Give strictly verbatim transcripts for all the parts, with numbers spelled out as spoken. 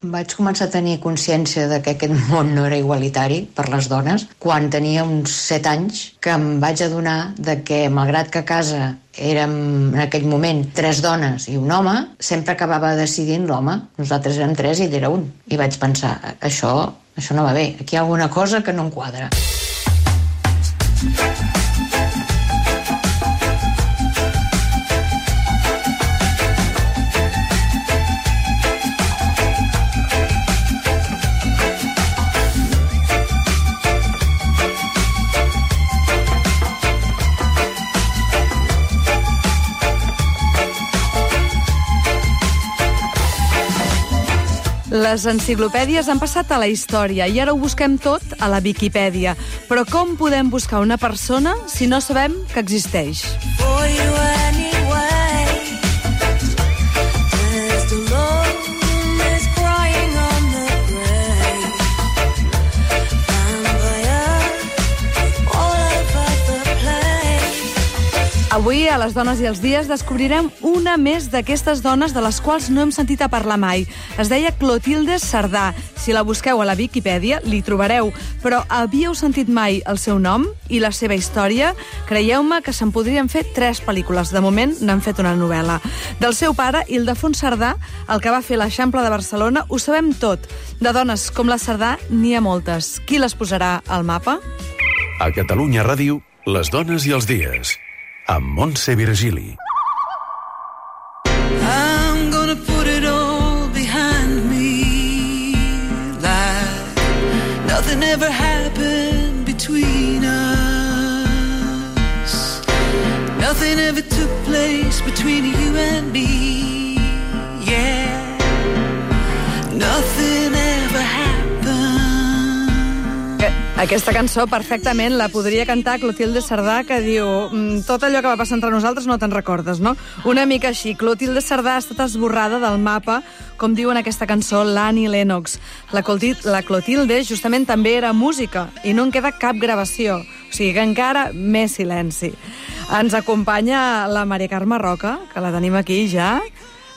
Vaig començar a tenir consciència de que aquest món no era igualitari per les dones quan tenia uns set anys, que em vaig adonar de que, malgrat que a casa érem en aquell moment tres dones i un home, sempre acabava decidint l'home. Nosaltres érem tres i ell era un. I vaig pensar, això, això no va bé, aquí hi ha alguna cosa que no em quadra. Les enciclopèdies han passat a la història i ara ho busquem tot a la Viquipèdia. Però com podem buscar una persona si no sabem que existeix? Avui, a les Dones i els Dies, descobrirem una més d'aquestes dones de les quals no hem sentit a parlar mai. Es deia Clotilde Cerdà. Si la busqueu a la Viquipèdia, l'hi trobareu. Però havíeu sentit mai el seu nom i la seva història? Creieu-me que se'n podrien fer tres pel·lícules. De moment, n'han fet una novel·la. Del seu pare, Ildefons Cerdà, el que va fer l'Eixample de Barcelona, ho sabem tot. De dones com la Cerdà, n'hi ha moltes. Qui les posarà al mapa? A Catalunya Ràdio, les dones i els dies. Amb Montse Virgili. I'm gonna put it all behind me, like nothing ever happened between us. Nothing ever took place between you and me, yeah. Nothing ever happened. Aquesta cançó perfectament la podria cantar Clotilde Cerdà, que diu tot allò que va passar entre nosaltres no te'n recordes, no? Una mica així. Clotilde Cerdà ha estat esborrada del mapa, com diu en aquesta cançó l'Annie Lennox. La Clotilde justament també era música i no en queda cap gravació. O sigui que encara més silenci. Ens acompanya la Maria Carme Roca, que la tenim aquí ja.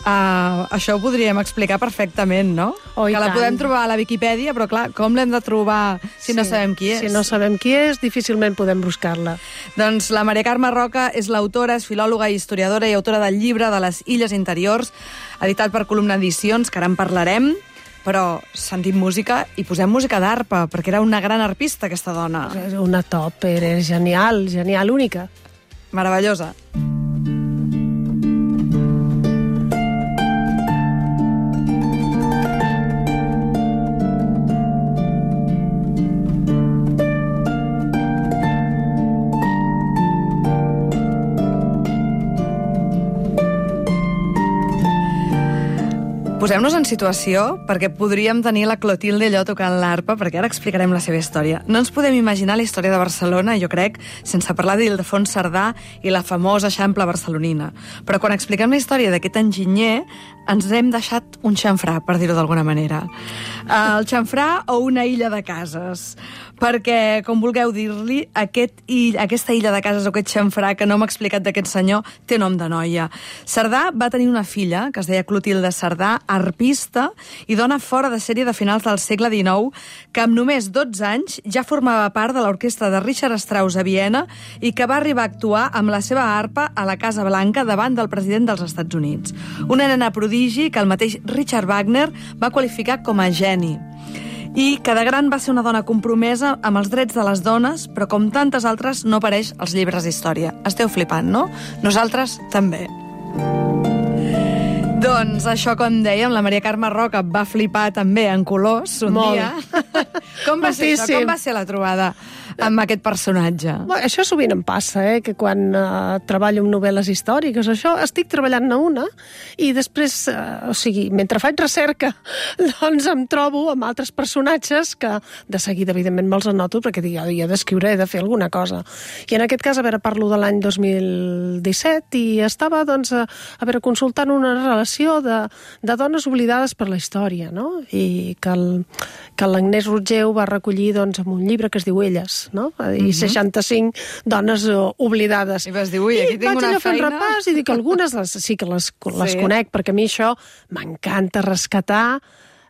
Uh, això ho podríem explicar perfectament, no? Oh, que la tant. podem trobar a la Viquipèdia, però clar, com l'hem de trobar si sí, no sabem qui és? Si no sabem qui és, difícilment podem buscar-la. Doncs la Maria Carme Roca és l'autora, és filòloga i historiadora i autora del llibre de les Illes Interiors, editat per Columna Edicions, que ara en parlarem, però sentim música i posem música d'arpa, perquè era una gran arpista, aquesta dona. Una top, era genial, genial, única. Meravellosa. Posem-nos en situació, perquè podríem tenir la Clotilde allò tocant l'arpa, perquè ara explicarem la seva història. No ens podem imaginar la història de Barcelona, jo crec, sense parlar d'Ildefons Cerdà i la famosa Eixample barcelonina. Però quan expliquem la història d'aquest enginyer, ens hem deixat un xamfrà, per dir-ho d'alguna manera. El xamfrà o una illa de cases. Perquè, com vulgueu dir-li, aquest ill, aquesta illa de cases o aquest xamfrà que no m'ha explicat d'aquest senyor té nom de noia. Cerdà va tenir una filla, que es deia Clotilde Cerdà, arpista i dona fora de sèrie de finals del segle dinou, que amb només dotze anys ja formava part de l'orquestra de Richard Strauss a Viena i que va arribar a actuar amb la seva arpa a la Casa Blanca davant del president dels Estats Units. Una nena prodigi que el mateix Richard Wagner va qualificar com a geni. I que de gran va ser una dona compromesa amb els drets de les dones, però com tantes altres no apareix als llibres d'història. Esteu flipant, no? Nosaltres també. Doncs això, com dèiem, la Maria Carme Roca va flipar també en colors un Molt. dia. Com va ser això? Com va ser la trobada amb aquest personatge? Bueno, això sovint em passa, eh? Que quan uh, treballo amb novel·les històriques, això, estic treballant-ne una i després, uh, o sigui, mentre faig recerca, doncs em trobo amb altres personatges que de seguida, evidentment, me'ls anoto perquè dic, jo he d'escriure, he de fer alguna cosa. I en aquest cas, a veure, parlo de l'any dos mil disset i estava, doncs, a, a veure, consultant una relació de, de dones oblidades per la història, no? I que el, que l'Agnès Rotgeu va recollir, doncs, amb un llibre que es diu Elles, no? I seixanta-cinc dones oblidades. I vas dir, ui, aquí tinc una feina. I vaig allò fent repàs i dic, algunes les, sí que les, les sí. conec, perquè a mi això m'encanta rescatar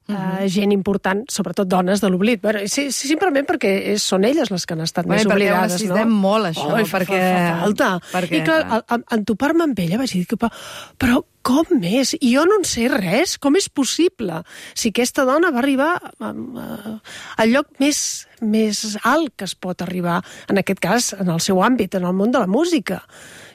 uh -huh. uh, gent important, sobretot dones de l'oblit. Bueno, sí, sí, simplement perquè és, són elles les que han estat bueno, més oblidades, no? Necessitem molt, això, oh, perquè... Fa, fa falta. Perquè, I clar, en, en topar-me amb ella vaig dir que, però com és? I jo no en sé res. Com és possible? Si aquesta dona va arribar al lloc més, més alt que es pot arribar, en aquest cas, en el seu àmbit, en el món de la música.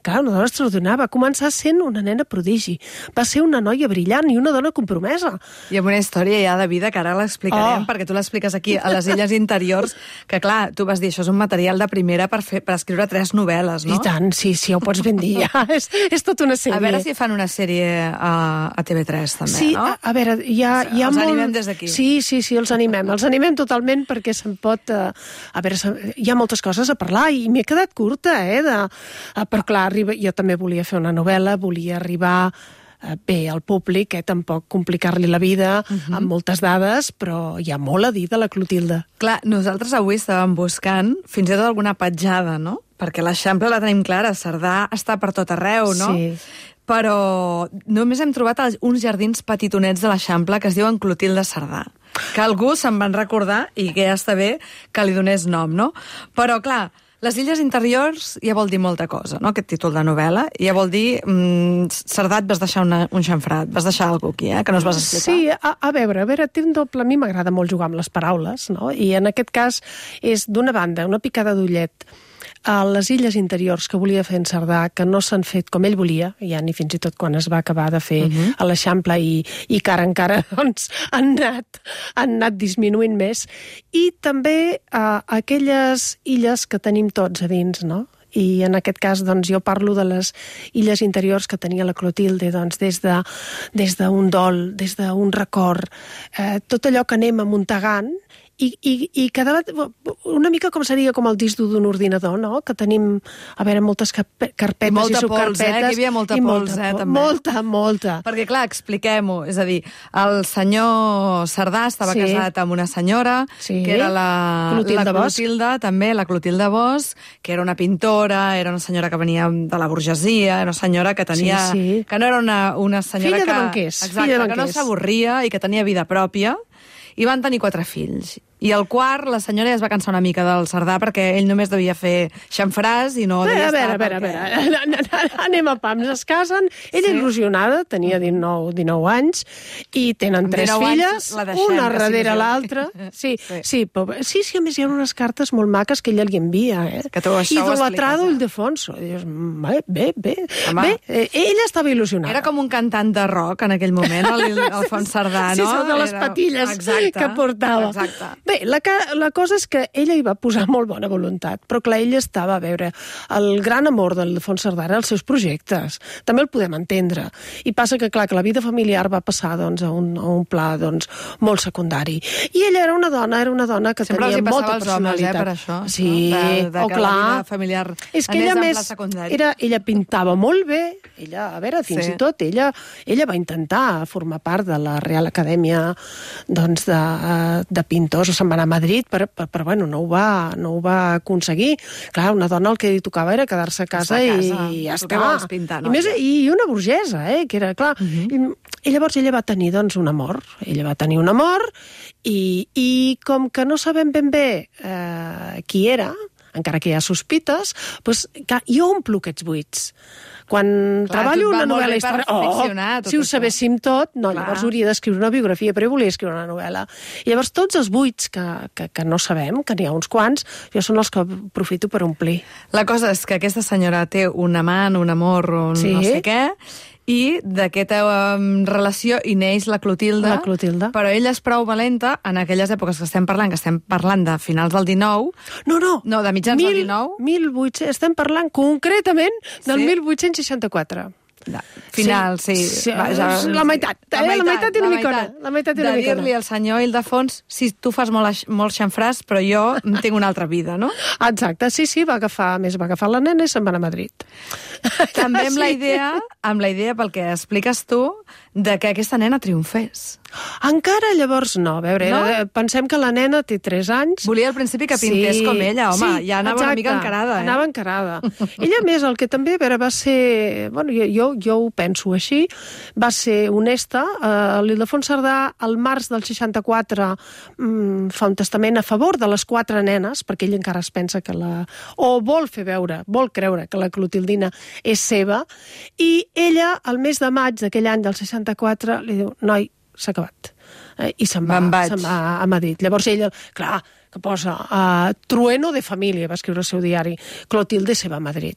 Clar, una dona extraordinària. Va començar sent una nena prodigi. Va ser una noia brillant i una dona compromesa. I amb una història ja de vida que ara l'explicarem, oh. perquè tu l'expliques aquí a les Illes Interiors, que clar, tu vas dir, això és un material de primera per, fer, per escriure tres novel·les, no? I tant, sí, sí, ho pots ben dir. Ja. és, és tota una sèrie. A veure si fan una sèrie a, a T V tres, també, sí, no? Sí, a, a veure, hi ha, hi ha els molt... animem des d'aquí. Sí, sí, sí, els animem. Els animem totalment perquè se'n pot... Uh, a veure, hi ha moltes coses a parlar i m'he quedat curta, eh? De, uh, però clar, arriba, jo també volia fer una novel·la, volia arribar uh, bé al públic, eh? Tampoc complicar-li la vida uh -huh. amb moltes dades, però hi ha molt a dir de la Clotilde. Clar, nosaltres avui estàvem buscant fins i tot alguna petjada, no? Perquè l'Eixample la tenim clara, Cerdà està per tot arreu, no? Sí. Però només hem trobat uns jardins petitonets de l'Eixample que es diuen Clotilde Cerdà, que algú se'n van recordar i que ja està bé que li donés nom, no? Però, clar, les Illes Interiors ja vol dir molta cosa, no?, aquest títol de novel·la. Ja vol dir, mmm, Cerdà, et vas deixar una, un xamfrat, vas deixar alguna cosa aquí, eh?, que no es vas explicar. Sí, a, a veure, a veure, té un doble... A mi m'agrada molt jugar amb les paraules, no? I en aquest cas és, d'una banda, una picada d'ullet a les Illes Interiors que volia fer en Cerdà, que no s'han fet com ell volia, ja ni fins i tot quan es va acabar de fer uh-huh. a l'Eixample i, i que ara encara doncs, han, anat, han anat disminuint més. I també uh, aquelles illes que tenim tots a dins, no? I en aquest cas doncs, jo parlo de les Illes Interiors que tenia la Clotilde, doncs, des de, des d'un dol, des d'un record, eh, tot allò que anem amuntegant i, i, i cada una mica com seria com el disc dur d'un ordinador, no? Que tenim, a veure, moltes carpetes i, molta i subcarpetes. Pols, eh? Que hi havia molta pols, molta, eh, també. Molta, molta. Perquè, clar, expliquem-ho. És a dir, el senyor Cerdà estava sí. casat amb una senyora, sí. que era la Clotilde, la Clotilde també, la Clotilde Bosch, que era una pintora, era una senyora que venia de la burgesia, era una senyora que tenia... Sí, sí. Que no era una, una senyora filla que... de banquers. Exacte, filla de banquers. Que no s'avorria i que tenia vida pròpia, i van tenir quatre fills. I el quart, la senyora ja es va cansar una mica del Cerdà perquè ell només devia fer xamfràs i no Bé, devia a veure, estar... a veure, perquè... a veure, anem a pams, es casen, ella sí. il·lusionada, tenia dinou, dinou anys, i tenen tres filles, deixem, una darrere sí, l'altra. Sí, sí, sí. sí, sí, sí, a més hi ha unes cartes molt maques que ella li envia, eh? Que tu això Idolatrado eh? Ildefonso. Dius, bé, bé, bé. Home, bé eh, ella estava il·lusionada. Era com un cantant de rock en aquell moment, l'Alfons Cerdà, no? Sí, són de les Era... patilles Exacte. que portava. Exacte. Bé, la, la cosa és que ella hi va posar molt bona voluntat, però clar, ella estava, a veure, el gran amor del Ildefonso Cerdà era els seus projectes. També el podem entendre. I passa que, clar, que la vida familiar va passar doncs, a, un, a un pla doncs, molt secundari. I ella era una dona, era una dona que sempre tenia molta personalitat. Sempre els hi passava als homes, eh, per això. Sí, no? de, de oh, que clar. la vida familiar és que anés ella en més, pla secundari. era, ella pintava molt bé, ella, a veure, fins sí. i tot, ella, ella va intentar formar part de la Real Acadèmia doncs, de, de pintors, o se'n va anar a Madrid, però, però, però bueno, no ho, va, no ho va aconseguir. Clar, una dona el que li tocava era quedar-se a casa, a casa. i ja està. Pintar, no? I, més, I una burgesa, eh, que era, clar. Uh-huh. I, I llavors ella va tenir, doncs, un amor. Ella va tenir un amor i, i com que no sabem ben bé eh, qui era, encara que hi ha sospites, doncs, clar, jo omplo aquests buits. Quan clar, treballo una novel·la històrica... Oh, si ho això. sabéssim tot, no, clar. Llavors hauria d'escriure una biografia, però jo volia escriure una novel·la. I llavors tots els buits que, que, que no sabem, que n'hi ha uns quants, jo són els que aprofito per omplir. La cosa és que aquesta senyora té un amant, un amor, un sí. no sé què, i d'aquesta um, relació hi neix la Clotilde, la Clotilde, però ella és prou valenta en aquelles èpoques que estem parlant, que estem parlant de finals del dinou... No, no. No, de mitjans mil, del dinou. mil vuit-cents, estem parlant concretament del sí? mil vuit-cents seixanta-quatre. De, final, sí. sí. sí va, ja, la meitat, la, eh? meitat, la meitat i una micona. La meitat i una de micona. dir-li al senyor Ildefons, si tu fas molt, molt xamfràs, però jo tinc una altra vida, no? Exacte, sí, sí, va agafar, més va agafar la nena i se'n va anar a Madrid. També amb sí. la idea, amb la idea, pel que expliques tu, de que aquesta nena triomfés. Encara llavors no. A veure, No? era- pensem que la nena té tres anys. Volia al principi que pintés com ella, home, ja anava una mica encarada, eh? Anava encarada. Ella, a més, el que també, a veure, va ser... Bueno, jo, jo, jo ho penso així, va ser honesta. Uh, L'Ildefons Cerdà, al març del seixanta-quatre, um, fa un testament a favor de les quatre nenes, perquè ell encara es pensa que la... o vol fer veure, vol creure que la Clotildina és seva, i ella, al mes de maig d'aquell any del seixanta-quatre, li diu, noi, s'ha acabat. Eh, I se'n va, Me'n vaig. se'n va a Madrid. Llavors ella, clar, que posa uh, trueno de família, va escriure el seu diari, Clotilde se va a Madrid.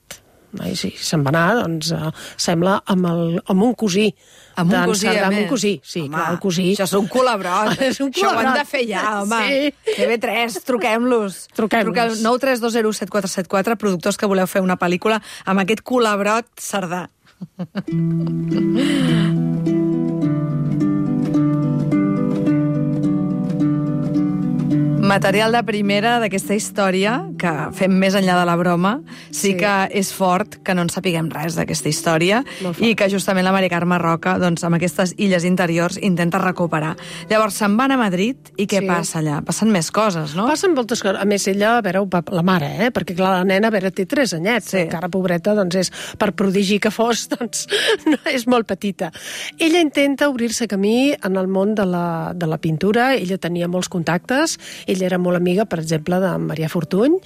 I sí, se'n va anar, doncs, uh, sembla, amb, el, amb un cosí. Amb un d'en cosí, Cerdà, a amb més. un cosí, sí, Home, clar, el cosí. Això és un colabrot. És un Això ho hem colabrot. de fer ja, home. Sí. T V tres, truquem-los. Truquem-los. Truqueu nou tres dos zero set quatre set quatre, productors que voleu fer una pel·lícula amb aquest colabrot Cerdà. Material de primera d'aquesta història, que fem més enllà de la broma, sí, Sí. que és fort que no en sapiguem res d'aquesta història i que justament la Mari Carme Roca, doncs, amb aquestes illes interiors, intenta recuperar. Llavors, se'n van a Madrid i què Sí. passa allà? Passen més coses, no? Passen moltes coses. A més, ella, a veure, ho va- la mare, eh? perquè clar, la nena, a veure, té tres anyets. Sí. Encara, pobreta, doncs és, per prodigi que fos, doncs no, és molt petita. Ella intenta obrir-se camí en el món de la, de la pintura. Ella tenia molts contactes. Ella era molt amiga, per exemple, de Marià Fortuny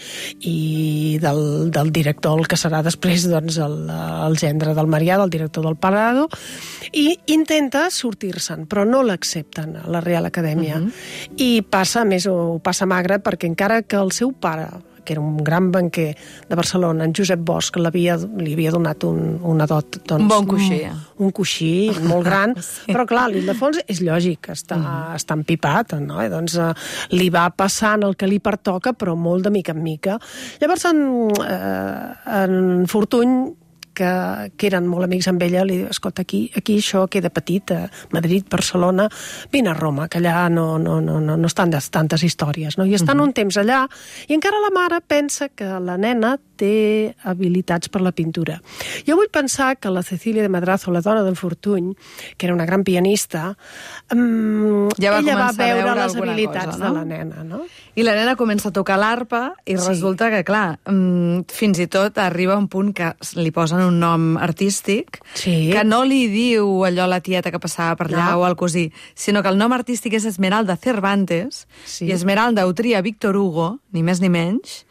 i del, del director, el que serà després doncs, el, el gendre del Marià, del director del Parado, i intenta sortir-se'n, però no l'accepten a la Real Acadèmia. Uh-huh. I passa, a més, ho passa magre, perquè encara que el seu pare, que era un gran banquer de Barcelona, en Josep Bosch, l'havia, li havia donat un, una dot... Doncs, Un bon coixí. Un, un coixí molt gran, sí. Però clar, l'Ildefons és lògic, està, uh-huh. està empipat, no? I doncs eh, li va passant el que li pertoca, però molt de mica en mica. Llavors, en, eh, en Fortuny, que, que eren molt amics amb ella, li diu, escolta, aquí, aquí això queda petit, a Madrid, Barcelona, vine a Roma, que allà no, no, no, no, no estan tantes històries, no? I estan uh-huh. un temps allà, i encara la mare pensa que la nena té habilitats per la pintura. Jo vull pensar que la Cecília de Madrazo, la dona del Fortuny, que era una gran pianista, um, ja va ella va començar a veure, veure les alguna habilitats cosa, no? de la nena, no? I la nena comença a tocar l'arpa i Sí. resulta que, clar, fins i tot arriba un punt que li posen un nom artístic Sí. que no li diu allò a la tieta que passava per allà No. o al cosí, sinó que el nom artístic és Esmeralda Cervantes Sí. i Esmeralda ho tria Víctor Hugo, ni més ni menys,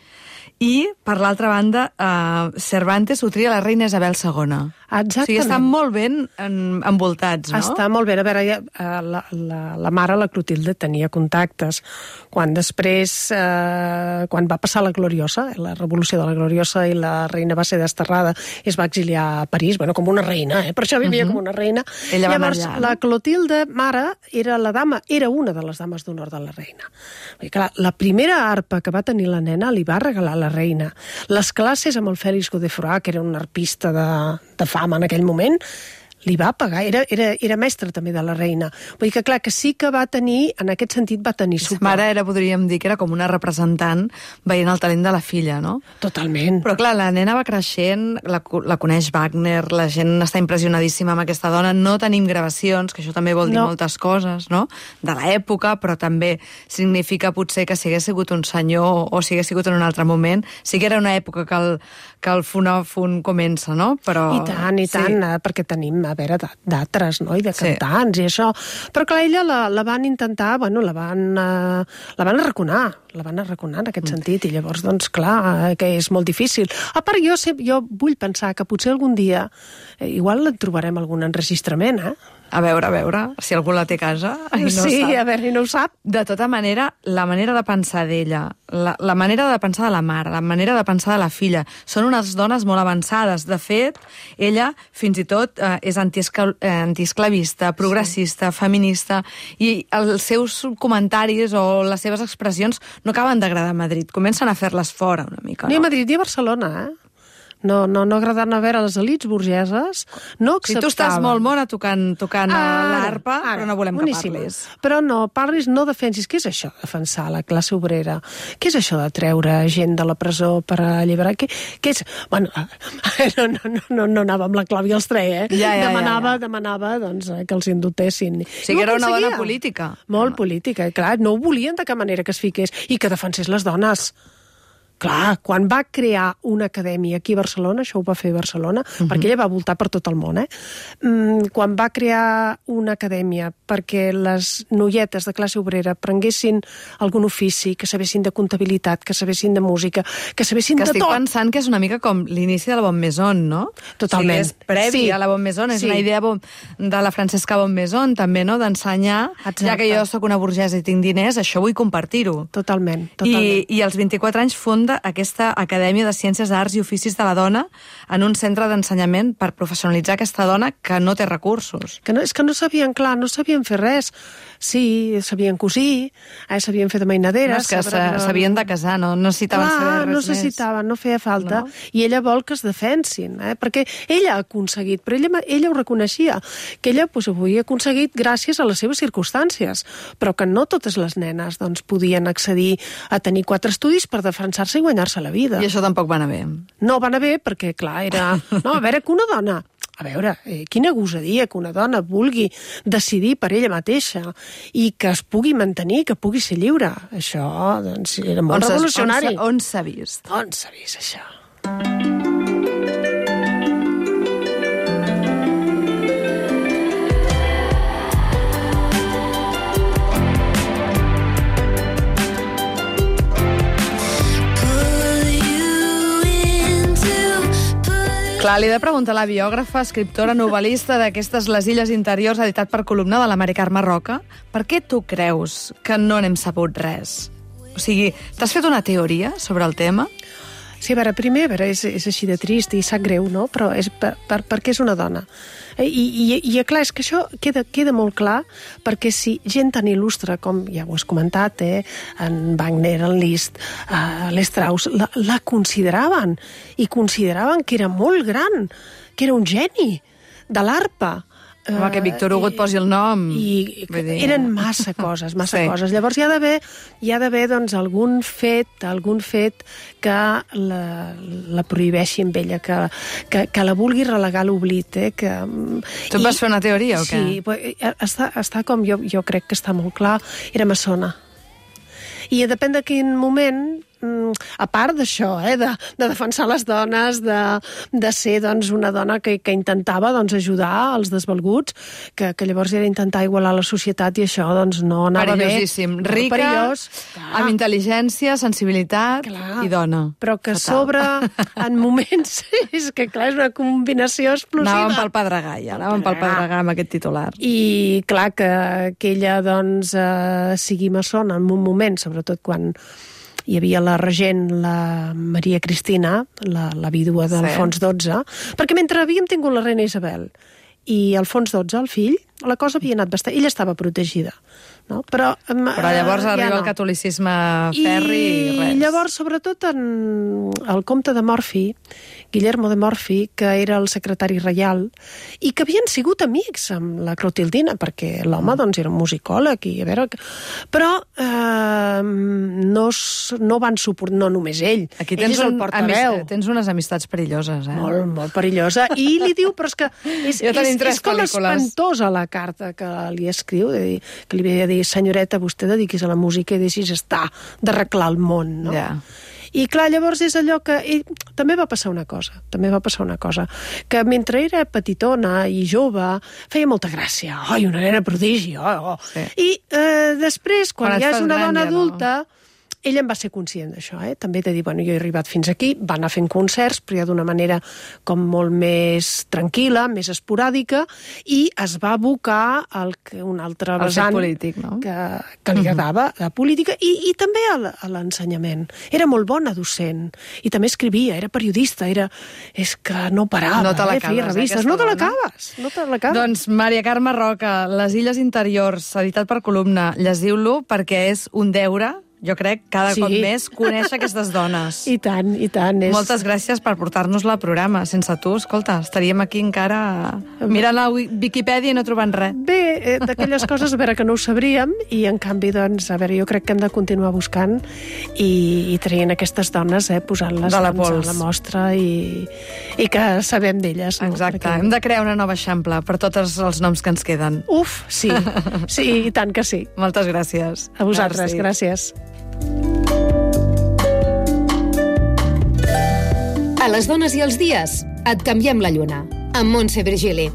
i, per l'altra banda, eh, Cervantes ho tria la reina Isabel segona. Exactament. O sigui, estan molt ben en, envoltats, no? Està molt bé. A veure, ja, eh, la, la, la mare, la Clotilde, tenia contactes. Quan després, eh, quan va passar la Gloriosa, la revolució de la Gloriosa, i la reina va ser desterrada i es va exiliar a París, bueno, com una reina, eh? Per això vivia uh-huh. com una reina. Ella va Llavors, anar allà, no? la Clotilde, mare, era la dama, era una de les dames d'honor de la reina. I, clar, la primera arpa que va tenir la nena li va regalar la reina. Les classes amb el Félix Godefroy, que era un arpista de, de fama en aquell moment, li va pagar, era, era, era mestre també de la reina. Vull dir que, clar, que sí que va tenir, en aquest sentit va tenir Sa suport. mare era, podríem dir, que era com una representant veient el talent de la filla, no? Totalment. Però clar, la nena va creixent, la, la coneix Wagner, la gent està impressionadíssima amb aquesta dona, no tenim gravacions, que això també vol dir No. moltes coses, no?, de l'època, però també significa potser que si hagués sigut un senyor o si hagués sigut en un altre moment, sí que era una època que el, que el fonòfon comença, no? Però, I tant, i tant, sí. eh, perquè tenim, a veure, d- d'altres, no?, i de Sí. cantants i això. Però clar, ella la, la van intentar, bueno, la van, eh, la van arraconar, la van arraconar en aquest sentit, i llavors, doncs, clar, eh, que és molt difícil. A part, jo, sé, jo vull pensar que potser algun dia, eh, igual en trobarem algun enregistrament, eh? A veure, a veure, si algú la té a casa i no sí, sap. a veure, i no ho sap. De tota manera, la manera de pensar d'ella, la, la manera de pensar de la mare, la manera de pensar de la filla, són unes dones molt avançades. De fet, ella fins i tot eh, és antiescla- eh, antiesclavista, progressista, sí. feminista, i els seus comentaris o les seves expressions no acaben d'agradar a Madrid. Comencen a fer-les fora una mica, Ni a no? Madrid ni a Barcelona, eh? No, no, no agradar anar a veure les elits burgeses, no acceptava. Si tu estàs molt mona tocant, tocant Ara, l'arpa, ara, però no volem boníssim. que parlis. Però no, parlis, no defensis. Què és això, defensar la classe obrera? Què és això de treure gent de la presó per alliberar? Què, què és? Bueno, no, no, no, no, no anava amb la Clàudia Alstré, eh? Ja, ja, demanava, ja, ja. demanava doncs, que els indultessin. O sigui, era una dona política. Molt política, clar. No ho volien de cap manera que es fiqués i que defensés les dones. Clar, quan va crear una acadèmia aquí a Barcelona, això ho va fer a Barcelona, uh-huh. perquè ella va voltar per tot el món, eh? Mm, quan va crear una acadèmia perquè les noietes de classe obrera prenguessin algun ofici, que sabessin de comptabilitat, que sabessin de música, que sabessin que de tot. Que estic pensant que és una mica com l'inici de la Bon Maison, no? Totalment. O sigui, és previ sí. a la Bon Maison, és sí. una idea de la Francesca Bon Maison, també, no?, d'ensenyar, ja que jo sóc una burgesa i tinc diners, això vull compartir-ho. Totalment, totalment. I, I als vint-i-quatre anys funda aquesta Acadèmia de Ciències, Arts i Oficis de la Dona en un centre d'ensenyament per professionalitzar aquesta dona que no té recursos. Que no, és que no sabien, clar, no sabien fer res. Sí, sabien cosir, eh, sabien fer de mainaderes... No, és que s'havien de casar, no necessitaven clar, saber res no més. necessitaven, no feia falta. No? I ella vol que es defensin, eh, perquè ella ha aconseguit, però ella, ella ho reconeixia, que ella pues, ho havia aconseguit gràcies a les seves circumstàncies, però que no totes les nenes doncs, podien accedir a tenir quatre estudis per defensar-se i guanyar-se la vida. I això tampoc va anar bé. No va anar bé perquè, clar, era... No, a veure, que una dona... A veure, eh, quina gosadia que una dona vulgui decidir per ella mateixa i que es pugui mantenir, que pugui ser lliure. Això, doncs, era molt on revolucionari. On s'ha vist? On s'ha vist, això? Clar, li he de preguntar a la biògrafa, escriptora, novel·lista d'aquestes Les Illes Interiors, editat per Columna, de la Mari Carme Roca, per què tu creus que no n'hem sabut res? O sigui, t'has fet una teoria sobre el tema? Sí, a veure, primer, a veure, és, és així de trist i sap greu, no? Però és per, per, perquè és una dona. I, i, i clar, és que això queda, queda molt clar perquè si gent tan il·lustre com, ja ho has comentat, eh, en Wagner, en Liszt, eh, l'Strauss, la, la consideraven i consideraven que era molt gran, que era un geni de l'arpa. Home, que Víctor Hugo et posi el nom. I eren massa coses, massa sí. coses. Llavors hi ha d'haver, hi ha d'haver doncs, algun fet, algun fet que la, la prohibeixi amb ella, que, que, que la vulgui relegar a l'oblit. Eh? Que, tu et vas fer una teoria o què? Sí, està, està com jo, jo crec que està molt clar, era maçona. I depèn de quin moment, a part d'això, eh, de, de defensar les dones, de, de ser doncs, una dona que, que intentava doncs, ajudar els desvalguts, que, que llavors era intentar igualar la societat i això doncs, no anava bé. Perillosíssim. Rica, perillós, amb intel·ligència, sensibilitat clar, i dona. Però que a sobre, en moments, és que clar, és una combinació explosiva. Anàvem pel Pedregall, anàvem pel Pedregall amb aquest titular. I clar, que, que ella doncs, eh, sigui maçona en un moment, sobretot quan hi havia la regent, la Maria Cristina, la, la vídua d'Alfons dotze, perquè mentre havíem tingut la reina Isabel i Alfons dotze, el fill, la cosa havia anat bastant... Ella estava protegida. No? Però, Però llavors arriba ja no. el catolicisme ferri i, i res. I llavors, sobretot, en el comte de Morphy, Guillermo de Morphy, que era el secretari reial, i que havien sigut amics amb la Clotildina, perquè l'home mm. doncs, era un musicòleg, i a veure... Però eh, no, no van suportar, no només ell. Aquí tens, ell és el un, portaveu. Amist, tens unes amistats perilloses, eh? Molt, molt perillosa. I li diu, però és que és, és, és com pel·lícules. Espantosa la carta que li escriu, de dir, que li havia de dir, senyoreta, vostè dediquis a la música i deixis estar d'arreglar el món, no? Ja. I clar, llavors és allò que... I també va passar una cosa, també va passar una cosa, que mentre era petitona i jove, feia molta gràcia. Ai, una nena prodigi, oh, oh. Sí. I eh, després, quan, quan ja és una dona ja adulta... No. Ella en va ser conscient d'això, eh? També de dir, bueno, jo he arribat fins aquí, va anar fent concerts, però ja d'una manera com molt més tranquil·la, més esporàdica, i es va abocar al que un altre vessant polític, no? que, que li agradava, la política, i, i també a l'ensenyament. Era molt bona docent, i també escrivia, era periodista, era... És que no parava, no te eh? Feia revistes. No te l'acabes, no te l'acabes. Doncs Maria Carme Roca, Les Illes Interiors, editat per Columna, llegiu-lo perquè és un deure. jo crec, cada Sí. cop més conèixer aquestes dones. I tant, i tant. És... Moltes gràcies per portar-nos-la al programa. Sense tu, escolta, estaríem aquí encara mirant a Viquipèdia i no trobant res. Bé, eh, d'aquelles coses, a veure, que no ho sabríem, i en canvi, doncs, a veure, jo crec que hem de continuar buscant i, i traient aquestes dones, eh, posant-les De la doncs, pols. a la mostra i, i que sabem d'elles. No? Exacte. Perquè... Hem de crear una nova Eixample per tots els noms que ens queden. Uf, sí. Sí, i tant que sí. Moltes gràcies. A vosaltres, Merci. gràcies. A les dones i els dies, et canviem la lluna. Amb Montse Virgili.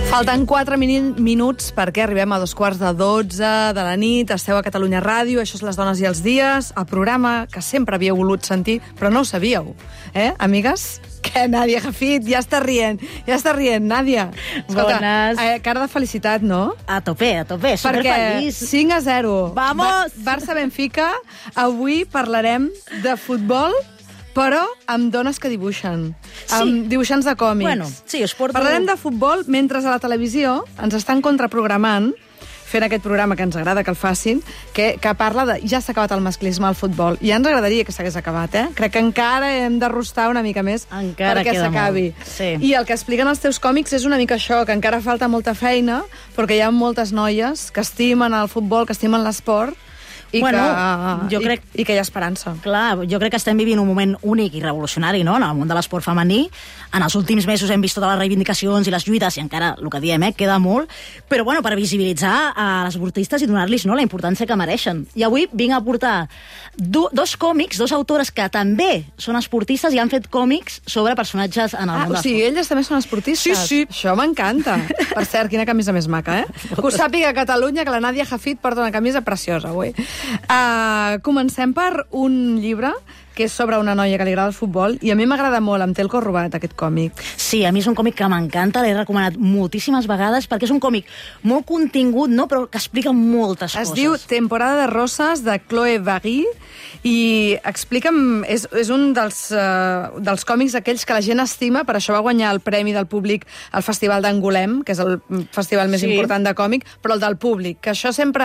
Falten quatre minuts perquè arribem a dos quarts de dotze de la nit. Esteu a Catalunya Ràdio, això és Les dones i els dies, el programa que sempre havíeu volut sentir, però no ho sabíeu. Eh, amigues? Què, Nàdia Jafit? Ja està rient, ja està rient, Nàdia. Escolta, Bones. eh, cara de felicitat, no? A tope, a tope, Perquè superfeliç. cinc a zero. Vamos! Ba- Barça-Benfica. Avui parlarem de futbol, però amb dones que dibuixen. Sí. Amb dibuixants de còmics. Bueno, sí, us porto... Parlarem de futbol mentre a la televisió ens estan contraprogramant fent aquest programa que ens agrada que el facin, que, que parla de... Ja s'ha acabat el masclisme al futbol. I ja ens agradaria que s'hagués acabat, eh? Crec que encara hem de rostar una mica més Encara perquè queda s'acabi. molt, sí. I el que expliquen els teus còmics és una mica això, que encara falta molta feina, perquè hi ha moltes noies que estimen el futbol, que estimen l'esport, i, Bueno, que, jo i, crec- i que hi ha esperança. Clar, jo crec que estem vivint un moment únic i revolucionari, no?, en el món de l'esport femení. En els últims mesos hem vist totes les reivindicacions i les lluites, i encara, el que diem, eh, queda molt, però, bueno, per visibilitzar a les esportistes i donar-los, no, la importància que mereixen. I avui vinc a portar do, dos còmics, dos autores que també són esportistes i han fet còmics sobre personatges en el Ah, món o de sigui, elles també són esportistes? Sí, sí. Això m'encanta. Per cert, quina camisa més maca, eh? Que ho sàpiga a Catalunya, que la Nàdia Jafit porta una camisa preciosa avui. Uh, comencem per un llibre que és sobre una noia que li agrada el futbol, i a mi m'agrada molt, em té el cor robat, aquest còmic. Sí, a mi és un còmic que m'encanta, l'he recomanat moltíssimes vegades, perquè és un còmic molt contingut, no?, però que explica moltes Es coses. diu Temporada de Roses, de Chloé Vary, i explica'm... És, és un dels, uh, dels còmics aquells que la gent estima, per això va guanyar el premi del públic al Festival d'Angolem, que és el festival més Sí. important de còmic, però el del públic, que això sempre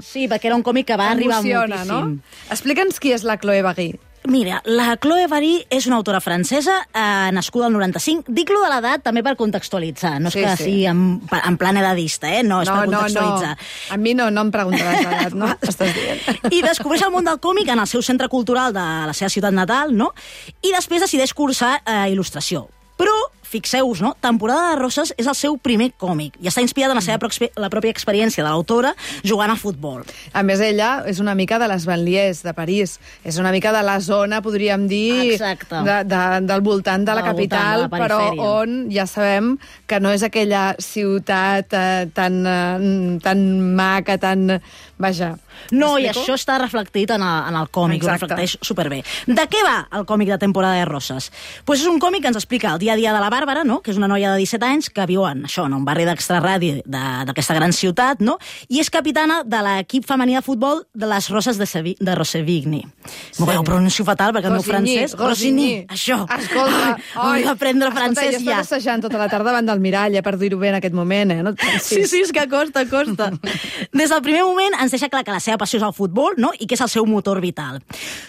Sí, perquè era un còmic que va arribar emociona, moltíssim. no? Explica'ns qui és la Chloé Vary. Mira, la Chloé Vary és una autora francesa, eh, nascuda al noranta-cinc. Dic-lo de l'edat també per contextualitzar, no és Sí, que sí. sigui en, en plan edadista, eh? no, és per contextualitzar. A mi no, no em preguntaràs l'edat, no? Estàs dient. I descobreix el món del còmic en el seu centre cultural de la seva ciutat natal, no? I després decideix cursar eh, il·lustració. Però, fixeu-vos, no? Temporada de Roses és el seu primer còmic i està inspirat en la seva proxpe- la pròpia experiència de l'autora jugant a futbol. A més, ella és una mica de les banlieues de París. És una mica de la zona, podríem dir, Exacte. de, de, del voltant de la Del voltant capital, de la però perifèria. on ja sabem que no és aquella ciutat eh, tan, eh, tan maca, tan... Vaja. No, i M'explico? això està reflectit en el, en el còmic, ho Exacte. reflecteix superbé. De què va el còmic de Temporada de Roses? Pues és un còmic que ens explica el dia a dia de la Bàrbara, no?, que és una noia de disset anys que viu en, això, en un barri d'extraradi de- d'aquesta gran ciutat, no?, i és capitana de l'equip femení de futbol de les Roses de, Sevi de Rosevigny. Sí. M'ho veu, pronuncio fatal, perquè el meu Rosigny, francès... Rosigny. Això. Escolta, Ai, vull aprendre escolta, francès jo ja. estava assajant tota la tarda davant del mirall, eh, per dir-ho bé en aquest moment, eh? No et pensis. Sí, sí, és que costa, costa. Des del primer moment ens deixa clar que la seva passió és el futbol, no?, i que és el seu motor vital.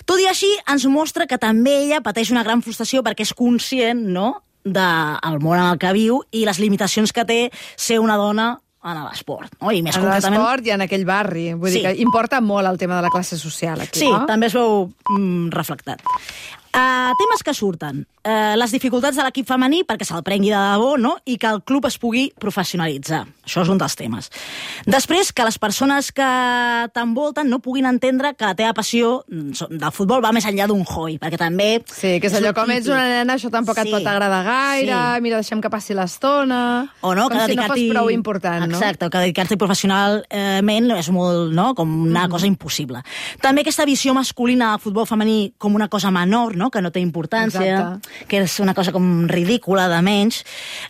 Tot i així, ens mostra que també ella pateix una gran frustració perquè és conscient, no?, del món en el que viu i les limitacions que té ser una dona en l'esport, no? I més En concretament... l'esport i en aquell barri. Vull Sí. dir que importa molt el tema de la classe social aquí, Sí, no? també es veu mm, reflectat. Uh, temes que surten. Uh, les dificultats de l'equip femení perquè se'l prengui de debò, no?, i que el club es pugui professionalitzar. Això és un dels temes. Després, que les persones que t'envolten no puguin entendre que la teva passió del futbol va més enllà d'un hobby, perquè també... Sí, que és allò com ets una nena, això tampoc et Sí. pot agradar gaire, Sí. mira, deixem que passi l'estona... O no, com que si no fos dedicar-t'hi... prou important, no? Exacte, que dedicar-t'hi professionalment és molt, no?, com una mm. cosa impossible. També aquesta visió masculina del futbol femení com una cosa menor, no?, no? Que no té importància, Exacte. que és una cosa com ridícula, de menys.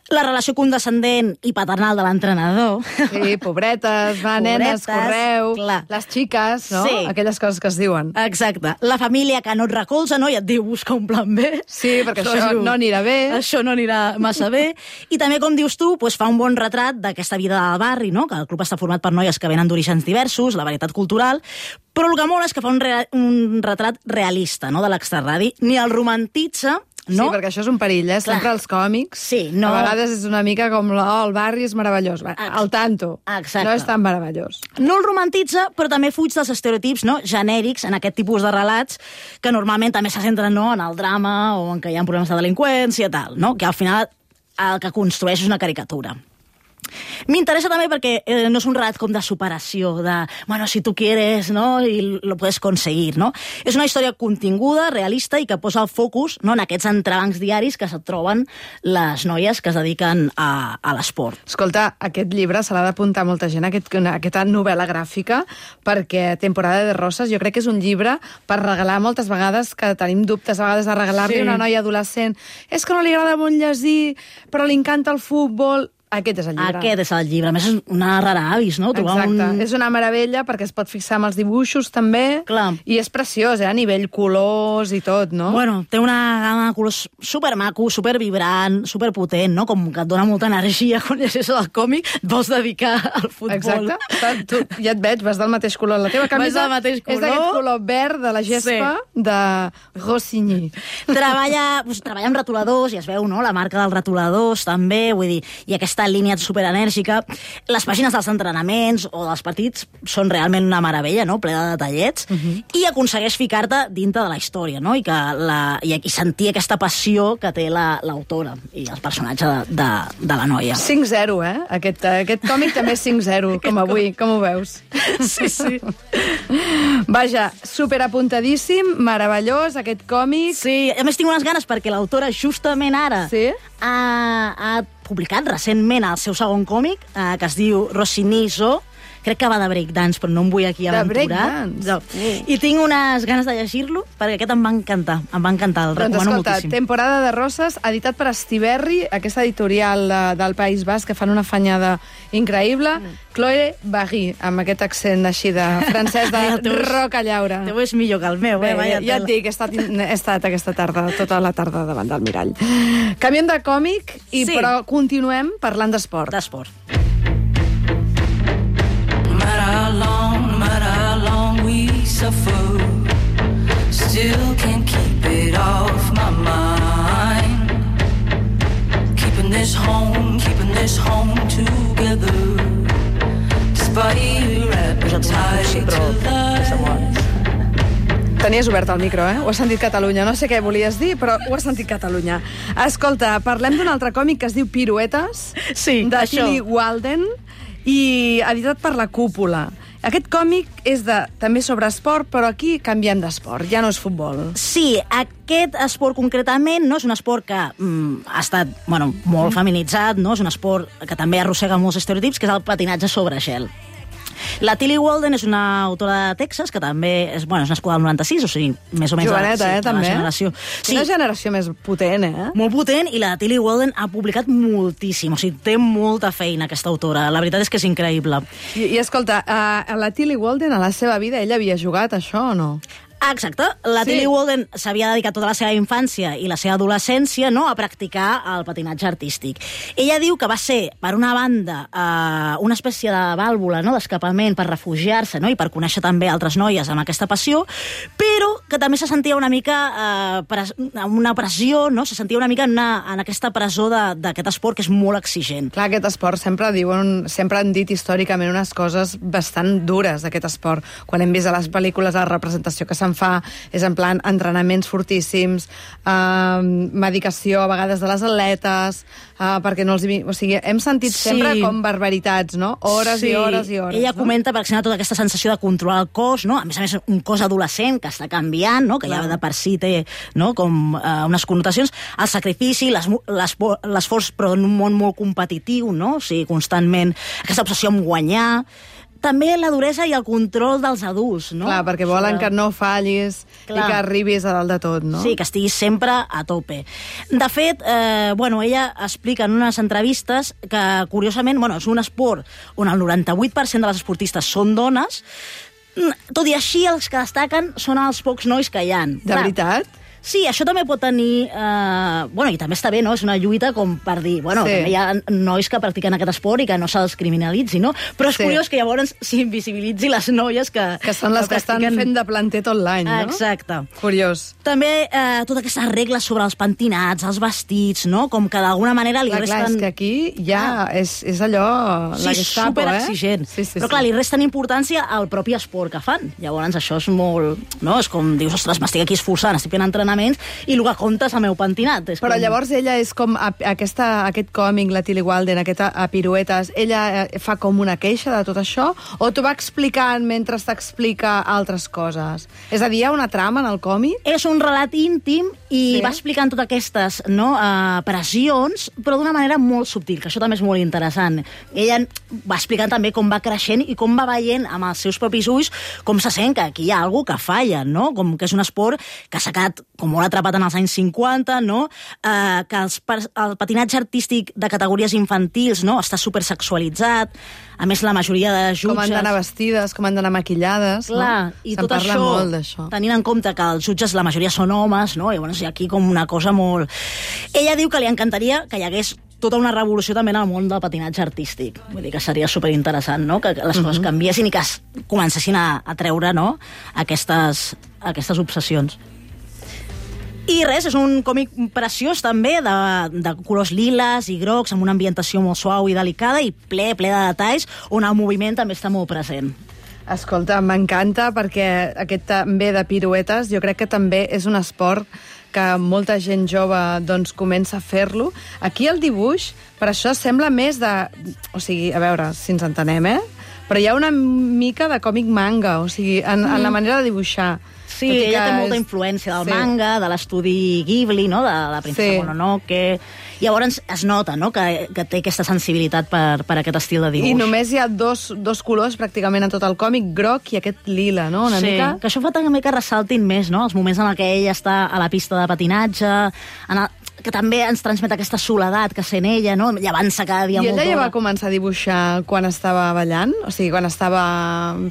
La relació condescendent i paternal de l'entrenador. Sí, pobretes, va, nenes, Pobretes, correu, clar. les xiques, no? Sí. Aquelles coses que es diuen. Exacte. La família que no et recolza, no? I et diu, busca un plan B. Sí, perquè això diu, no anirà bé. Això no anirà massa bé. I també, com dius tu, doncs fa un bon retrat d'aquesta vida del barri, no? Que el club està format per noies que venen d'orígens diversos, la varietat cultural, però el que mola és que fa un, rea un retrat realista, no?, de l'extrarradi. Ni el romantitza, no? Sí, perquè això és un perill, eh? Sempre els còmics, Sí, no. a vegades és una mica com oh, el barri és meravellós. Va, al tanto, Exacte. no és tan meravellós. No el romantitza, però també fuig dels estereotips, no?, genèrics en aquest tipus de relats que normalment també se centren, no?, en el drama o en que hi ha problemes de delinqüència, tal, no?, que al final el que construeix és una caricatura. M'interessa també perquè eh, no és un relat com de superació, de, bueno, si tu quieres, no?, i lo puedes conseguir, no? És una història continguda, realista, i que posa el focus, no?, en aquests entrebancs diaris que se troben les noies que es dediquen a, a l'esport. Escolta, aquest llibre se l'ha d'apuntar molta gent, aquest, aquesta novel·la gràfica, perquè Temporada de Roses jo crec que és un llibre per regalar moltes vegades, que tenim dubtes a vegades de regalar-li Sí. a una noia adolescent. És que no li agrada molt llegir, però li encanta el futbol. Aquest és el llibre. Aquest és el llibre. A més, és una rara avis, no? Trobar Exacte. un... És una meravella perquè es pot fixar amb els dibuixos també. Clar. I és preciós, eh? A nivell colors i tot, no? Bueno, té una gamma de colors supermaco, supervibrant, superpotent, no? Com que et dona molta energia quan llegeixes el còmic, et vols dedicar al futbol. Exacte. Està, tu, ja et veig, vas del mateix color. La teva camisa del mateix color. és d'aquest color verd de la gespa Sí. de Rossini. Treballa, doncs, treballa amb retoladors, i es veu, no?, la marca dels retoladors, també, vull dir, i aquesta línia superenèrgica. Les pàgines dels entrenaments o dels partits són realment una meravella, no?, ple de detallets, uh -huh. i aconsegueix ficar-te dintre de la història, no?, i, que la, i, i sentir aquesta passió que té l'autora la, i el personatge de, de, de la noia. cinc zero, eh? Aquest, aquest còmic també és cinc zero, com avui, com ho veus? Sí, sí. Vaja, superapuntadíssim, meravellós, aquest còmic. Sí, a més tinc unes ganes perquè l'autora justament ara Sí? ha, ha publicat recentment el seu segon còmic, eh, que es diu Rossini Zo. Crec que va de breakdance, però no em vull aquí De aventurar. breakdance? No. I tinc unes ganes de llegir-lo, perquè aquest em va encantar, em va encantar, el Doncs recomano escolta, moltíssim. Temporada de Roses, editat per Estiberri, aquesta editorial de, del País Basc, que fan una fanyada increïble. Mm. Chloé Barry, amb aquest accent així de francès de Ai, el teu és- rocallaura. El teu és millor que el meu, Bé, eh? Vaya ja, ja et tela. dic, he estat, he estat aquesta tarda, tota la tarda davant del mirall. Canviem de còmic, i, Sí. però continuem parlant d'esport. D'esport. No matter how long, no matter how long we suffer, still can't keep it off my mind. Keeping this home, keeping this home together, despite your appetite to lie. Tenies obert el micro, eh? Ho has sentit Catalunya. No sé què volies dir, però ho has sentit Catalunya. Escolta, parlem d'un altre còmic que es diu Piruetes, Sí, de això. Tilly Walden, i editat per La Cúpula. Aquest còmic és de, també sobre esport, però aquí canviem d'esport, ja no és futbol. Sí, aquest esport concretament no és un esport que mm, ha estat bueno, molt feminitzat, no? És un esport que també arrossega molts estereotips, que és el patinatge sobre gel. La Tilly Walden és una autora de Texas que també és, bueno, és nascuda al noranta-sis, o sigui, més o menys... Joveneta, sí, eh, de la també. generació. Sí, Una generació més potent, eh? molt potent, i la Tilly Walden ha publicat moltíssim, o sigui, té molta feina aquesta autora. La veritat és que és increïble. I, i escolta, a, a la Tilly Walden, a la seva vida, ella havia jugat a això o no? Ah, exacte. La Sí. Tilly Walden s'havia dedicat tota la seva infància i la seva adolescència, no?, a practicar el patinatge artístic. Ella diu que va ser, per una banda, eh, una espècie de vàlvula, no?, d'escapament per refugiar-se, no?, i per conèixer també altres noies amb aquesta passió, però que també se sentia una mica eh, pres una pressió, no?, se sentia una mica en, una, en aquesta presó d'aquest esport que és molt exigent. Clar, aquest esport sempre diuen, sempre han dit històricament unes coses bastant dures d'aquest esport. Quan hem vist a les pel·lícules la representació que se'n fa és en plan entrenaments fortíssims, eh, medicació a vegades de les atletes, eh, perquè no els... O sigui, hem sentit Sí. sempre com barbaritats, no? Hores Sí. i hores i hores. Ella no? comenta, per exemple, tota aquesta sensació de controlar el cos, no? A més a més, un cos adolescent que està canviant, no? Que ja de per si té, no?, com eh, unes connotacions, el sacrifici, l'esforç, però en un món molt competitiu, no? O sigui, constantment aquesta obsessió amb guanyar. també la duresa i el control dels adults, no? Clar, perquè volen Sobre... que no fallis Clar. I que arribis a dalt de tot, no? Sí, que estiguis sempre a tope. De fet, eh, bueno, ella explica en unes entrevistes que, curiosament, bueno, és un esport on el noranta-vuit per cent de les esportistes són dones, tot i així els que destaquen són els pocs nois que hi ha. De Clar, veritat? Sí, això també pot tenir... Eh, bueno, i també està bé, no? És una lluita com per dir... Bueno, sí. També hi ha nois que practiquen aquest esport i que no se'ls criminalitzi, no? Però és sí. curiós que llavors s'invisibilitzi les noies que... Que són les que, que practiquen... estan fent de planter tot l'any, no? Exacte. Curiós. També eh, totes aquestes regles sobre els pentinats, els vestits, no? Com que d'alguna manera li clar, resten... Clar, és que aquí ja ah. és, és allò... Sí, Gestapo, superexigent. Eh? Sí, sí, Però clar, sí. li resten importància al propi esport que fan. Llavors això és molt... No? És com dius, ostres, m'estic aquí esforçant, estic fent entrenaments i el que comptes el meu pentinat. És Però com... llavors ella és com a, aquesta, aquest còmic, la Tilly Walden, aquesta a piruetes, ella fa com una queixa de tot això? O t'ho va explicant mentre t'explica altres coses? És a dir, hi ha una trama en el còmic? És un relat íntim i sí. va explicant totes aquestes no, uh, pressions, però d'una manera molt subtil, que això també és molt interessant. Ella va explicant també com va creixent i com va veient amb els seus propis ulls com se sent que aquí hi ha alguna que falla, no? Com que és un esport que s'ha quedat com molt atrapat en els anys cinquanta, no? Eh, que els, el patinatge artístic de categories infantils no? Està supersexualitzat, a més la majoria de jutges... Com han d'anar vestides, com han d'anar maquillades, Clar, no? I Se'n tot parla això, molt d'això. Tenint en compte que els jutges la majoria són homes, no? I llavors hi ha aquí com una cosa molt... Ella diu que li encantaria que hi hagués tota una revolució també en el món del patinatge artístic. Vull dir que seria superinteressant, no? Que les coses uh-huh. canviessin i que es comencessin a, a treure no? aquestes, aquestes obsessions. I res, és un còmic preciós també, de, de colors liles i grocs, amb una ambientació molt suau i delicada i ple, ple de detalls, on el moviment també està molt present. Escolta, m'encanta perquè aquest també de piruetes jo crec que també és un esport que molta gent jove doncs, comença a fer-lo. Aquí el dibuix, per això sembla més de... O sigui, a veure si ens entenem, eh? Però hi ha una mica de còmic manga, o sigui, en, mm. en la manera de dibuixar. Sí, ella té molta influència del sí. manga, de l'estudi Ghibli, no? De la princesa sí. Mononoke... Llavors es nota no? que, que té aquesta sensibilitat per, per aquest estil de dibuix. I només hi ha dos, dos colors pràcticament en tot el còmic, groc i aquest lila, no? Una sí, mica... que això fa també que ressaltin més, no? Els moments en què ella està a la pista de patinatge, en el... que també ens transmet aquesta soledat que sent ella, no? Llevant-se cada dia I molt ella ja d'hora. va començar a dibuixar quan estava ballant? O sigui, quan estava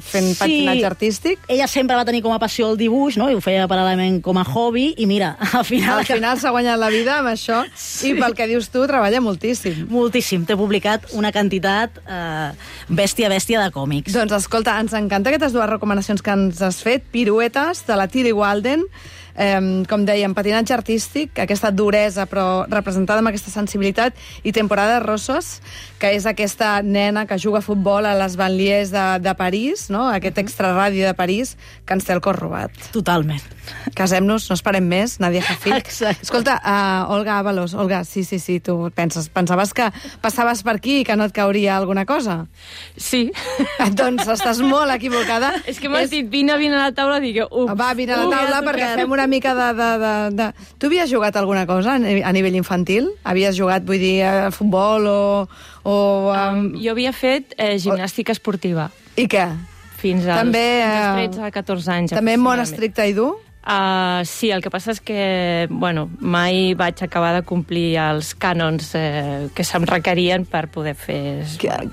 fent sí, patinatge artístic? Ella sempre va tenir com a passió el dibuix, no? I ho feia paral·lelament com a hobby, i mira, al final... Al final s'ha guanyat la vida amb això, sí. I pel que dius tu, treballa moltíssim. Moltíssim. T'he publicat una quantitat eh, bèstia, bèstia de còmics. Doncs escolta, ens encanta aquestes dues recomanacions que ens has fet. Piruetes, de la Tilly Walden, Eh, com dèiem, patinatge artístic, aquesta duresa però representada amb aquesta sensibilitat, i Temporada Rossos, que és aquesta nena que juga a futbol a les banlieues de, de París, no? Aquest extraradi de París que ens té el cor robat. Totalment. Casem-nos, no esperem més, Nadia Jafit. Exacte. Escolta, uh, Olga Ábalos, Olga, sí, sí, sí, tu penses, pensaves que passaves per aquí i que no et cauria alguna cosa? Sí. Doncs estàs molt equivocada. És que m'has és... dit, vine, vine a la taula, dic, uf. Va, vine a la taula uh, perquè fem una mica de, de, de, de... Tu havies jugat alguna cosa a nivell infantil? Havies jugat, vull dir, a futbol o... o um... Um, jo havia fet eh, gimnàstica esportiva. I què? Fins als també, tretze a catorze anys. També molt estricte i dur? Uh, sí, el que passa és que, bueno, mai vaig acabar de complir els cànons eh, que se'm requerien per poder fer...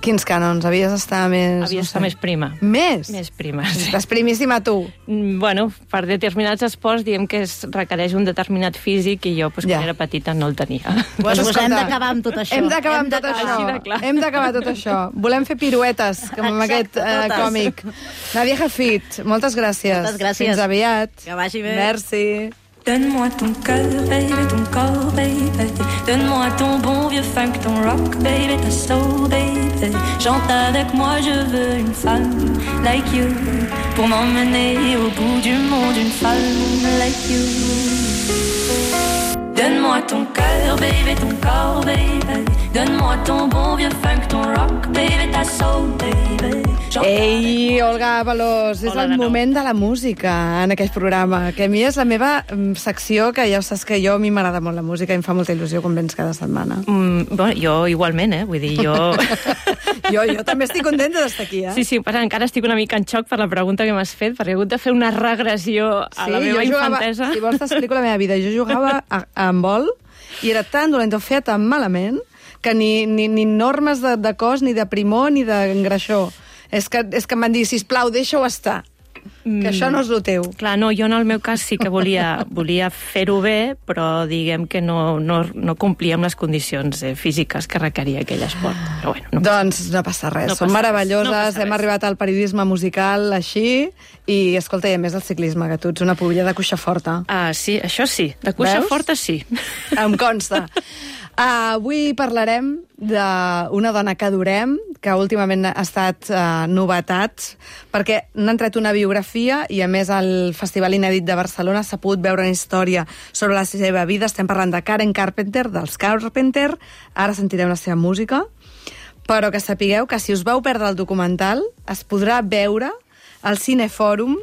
Quins cànons? Havies d'estar més... Havia d'estar no sé. més prima. Més? Més prima, sí. Estàs primíssima, tu. Mm, bueno, per determinats esports diem que es requereix un determinat físic i jo, pues, ja. quan era petita, no el tenia. Pues, pues hem d'acabar amb tot això. Hem d'acabar amb tot això. Hem d'acabar tot això. Volem fer piruetes, com amb aquest eh, còmic. Nadia Jafit, moltes gràcies. Moltes gràcies. Fins aviat. Que vagi bé. Merci. Donne-moi ton cœur, baby, ton corps, baby. Donne-moi ton bon vieux funk, ton rock, baby, ta soul, baby. Chante avec moi, je veux une femme like you pour m'emmener au bout du monde, une femme like you. Donne-moi ton cœur, baby, ton corps, baby. Donne-moi ton bon vieux funk, ton rock, baby, ta soul, baby. Ei, Olga Avalos, és Hola el de nou. moment de la música en aquest programa, que a mi és la meva mm, secció, que ja saps que jo, a mi m'agrada molt la música i em fa molta il·lusió quan vens cada setmana. Mm, bueno, jo igualment, eh? Vull dir, jo... jo, jo també estic contenta d'estar aquí, eh? Sí, sí, però encara estic una mica en xoc per la pregunta que m'has fet, perquè he hagut de fer una regressió a la meva jo jugava, infantesa. si vols t'explico la meva vida. Jo jugava a, a handbol i era tan dolenta, ho feia tan malament, que ni, ni, ni normes de, de cos, ni de primor, ni d'engreixó. És que, és que em van dir, sisplau, deixa-ho estar, mm. que això no és el teu. Clar, no, jo en el meu cas sí que volia, volia fer-ho bé, però diguem que no, no, no complia amb les condicions eh, físiques que requeria aquell esport. Però bueno, no. Doncs no passa res, No són passa meravelloses, res, no passa hem res. arribat al periodisme musical així, i escolta, i a més el ciclisme, que tu ets una pubilla de cuixa forta. Ah, sí, això sí, de cuixa Veus? forta sí. Em consta. Uh, avui parlarem d'una dona que adorem, que últimament ha estat uh, novetat, perquè n'han tret una biografia i, a més, al Festival Inèdit de Barcelona s'ha pogut veure una història sobre la seva vida. Estem parlant de Karen Carpenter, dels Carpenter. Ara sentirem la seva música. Però que sapigueu que si us vau perdre el documental, es podrà veure al Cinefòrum,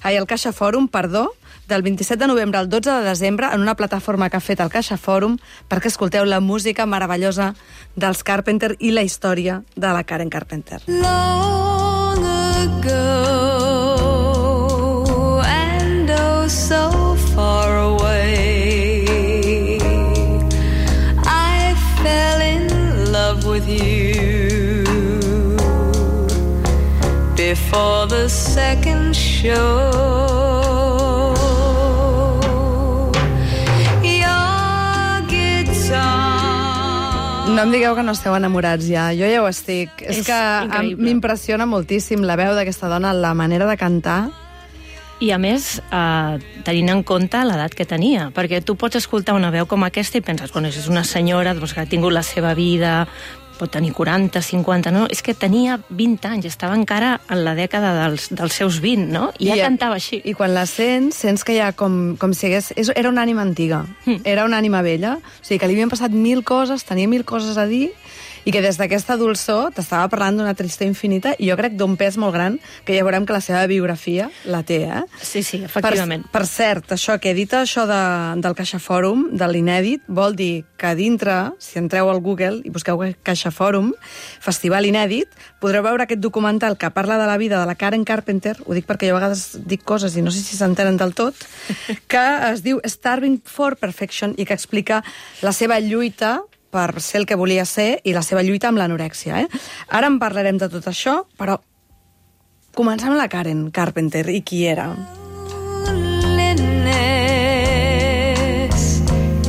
ai, al Caixa Fòrum, perdó, del vint-i-set de novembre al dotze de desembre en una plataforma que ha fet el Caixa Fòrum perquè escolteu la música meravellosa dels Carpenter i la història de la Karen Carpenter. Long ago, and oh so far away, I fell in love with you before the second show. No em digueu que no esteu enamorats ja, jo ja ho estic. És, És que increïble. m'impressiona moltíssim la veu d'aquesta dona, la manera de cantar. I a més, eh, tenint en compte l'edat que tenia, perquè tu pots escoltar una veu com aquesta i penses, bueno, és una senyora doncs, que ha tingut la seva vida, pot tenir quaranta, cinquanta, no, és que tenia vint anys, estava encara en la dècada dels, dels seus vint, no? I ja I, cantava així. I quan la sents, sents que hi ha com, com si hagués... És, era una ànima antiga, Mm. era una ànima vella, o sigui que li havien passat mil coses, tenia mil coses a dir, i que des d'aquesta dolçor t'estava parlant d'una tristor infinita, i jo crec d'un pes molt gran, que ja veurem que la seva biografia la té, eh? Sí, sí, efectivament. Per, per cert, això que he dit, això de, del Caixa Fòrum, de l'inèdit, vol dir que dintre, si entreu al Google i busqueu Caixa Fòrum, Festival Inèdit, podreu veure aquest documental que parla de la vida de la Karen Carpenter, ho dic perquè jo a vegades dic coses i no sé si s'entenen del tot, que es diu Starving for Perfection i que explica la seva lluita per ser el que volia ser i la seva lluita amb l'anorèxia. Eh? Ara en parlarem de tot això, però comencem amb la Karen Carpenter i qui era. Loneliness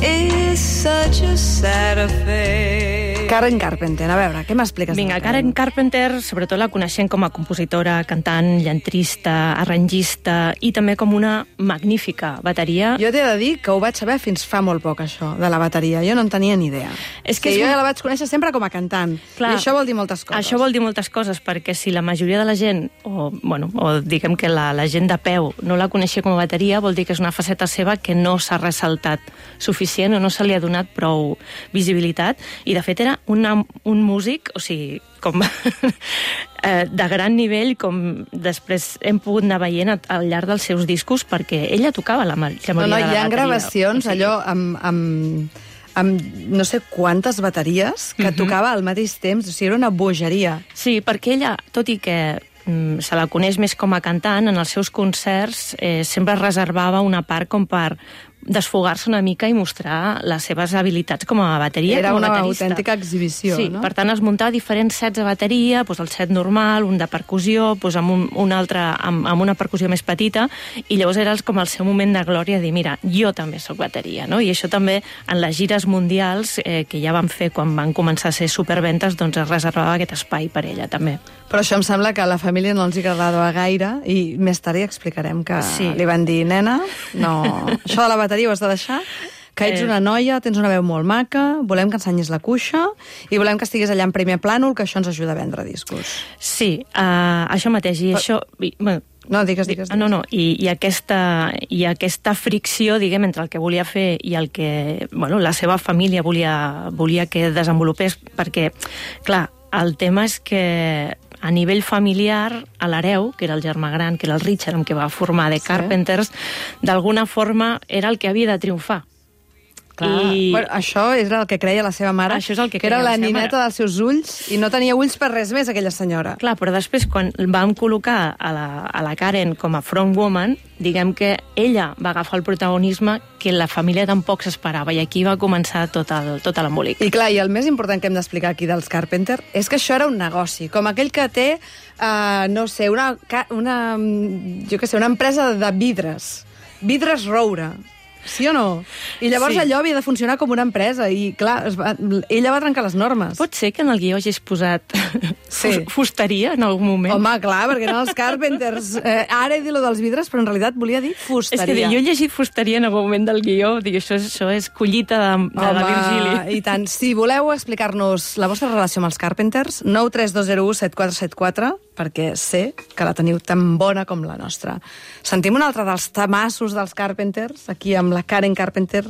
is such a sad affair. Karen Carpenter, a veure, què m'expliques? Vinga, Karen Carpenter, sobretot la coneixem com a compositora, cantant, llantrista, arrangista i també com una magnífica bateria. Jo t'he de dir que ho vaig saber fins fa molt poc, això, de la bateria. Jo no en tenia ni idea. És que que és jo un- ja la vaig conèixer sempre com a cantant. Clar, I això vol dir moltes coses. Això vol dir moltes coses, perquè si la majoria de la gent, o, bueno, o diguem que la, la gent de peu no la coneixia com a bateria, vol dir que és una faceta seva que no s'ha ressaltat suficient o no se li ha donat prou visibilitat, i de fet era una, un músic, o sigui, com eh, de gran nivell, com després hem pogut anar veient al llarg dels seus discos, perquè ella tocava la, la majoria No, no, de la hi ha bateria. gravacions, O sigui, allò, amb, amb, amb no sé quantes bateries que Mhm. tocava al mateix temps, o sigui, era una bogeria. Sí, perquè ella, tot i que mm, se la coneix més com a cantant, en els seus concerts eh, sempre reservava una part com per desfogar-se una mica i mostrar les seves habilitats com a bateria. Era com a una baterista. autèntica exhibició, sí, no? per tant es muntava diferents sets de bateria, doncs el set normal, un de percussió, doncs amb un, un altre amb, amb una percussió més petita, i llavors era com el seu moment de glòria, dir, mira, jo també sóc bateria, no? I això també en les gires mundials eh, que ja van fer quan van començar a ser superventes, doncs es reservava aquest espai per ella també. Però això em sembla que a la família no els hi agradava gaire, i més tard hi explicarem que Sí. li van dir, nena, no, això de la bateria ho has de deixar, que ets Eh. una noia, tens una veu molt maca, volem que ensenyis la cuixa i volem que estiguis allà en primer plànol, que això ens ajuda a vendre discos. Sí, uh, això mateix, i Però- això... i, bueno, No, digues, digues. Ah, no, no, i, i, aquesta, i aquesta fricció, diguem, entre el que volia fer i el que, bueno, la seva família volia, volia que desenvolupés, perquè, clar, el tema és que a nivell familiar, a l'hereu, que era el germà gran, que era el Richard, amb què va formar The Carpenters, sí. D'alguna forma era el que havia de triomfar. Clar. I... Bueno, això era el que creia la seva mare, això és el que, que era la, la nineta dels seus ulls i no tenia ulls per res més, aquella senyora. Clar, però després, quan vam col·locar a la, a la Karen com a front woman, diguem que ella va agafar el protagonisme que la família tampoc s'esperava, i aquí va començar tot el, tot l'embolic. I clar, i el més important que hem d'explicar aquí dels Carpenter és que això era un negoci, com aquell que té, uh, no sé, una, una, jo què sé, una empresa de vidres, vidres Roure. Sí o no? I llavors sí. Allò havia de funcionar com una empresa i, clar, es va, ella va trencar les normes. Pot ser que en el guió hagis posat sí. fusteria en algun moment? Home, clar, perquè eren els Carpenters. Eh, ara he dit lo dels vidres, però en realitat volia dir fusteria. És que jo he llegit fusteria en algun moment del guió, dic, això, és, això és collita de, de Home, la Virgili. I tant. Si voleu explicar-nos la vostra relació amb els Carpenters, nou tres dos zero u set quatre set quatre, perquè sé que la teniu tan bona com la nostra. Sentim un altre dels tamassos dels Carpenters, aquí amb la Karen Carpenter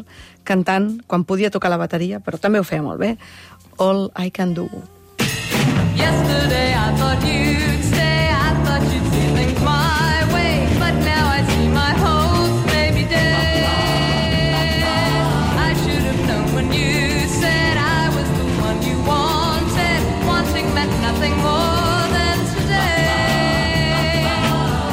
cantant quan podia tocar la bateria, però també ho feia molt bé. All I Can Do. Yesterday I thought you'd stay, I thought you'd see things my way, but now I see my hopes may be dead. I should have known when you said I was the one you wanted, wanting meant nothing more than today.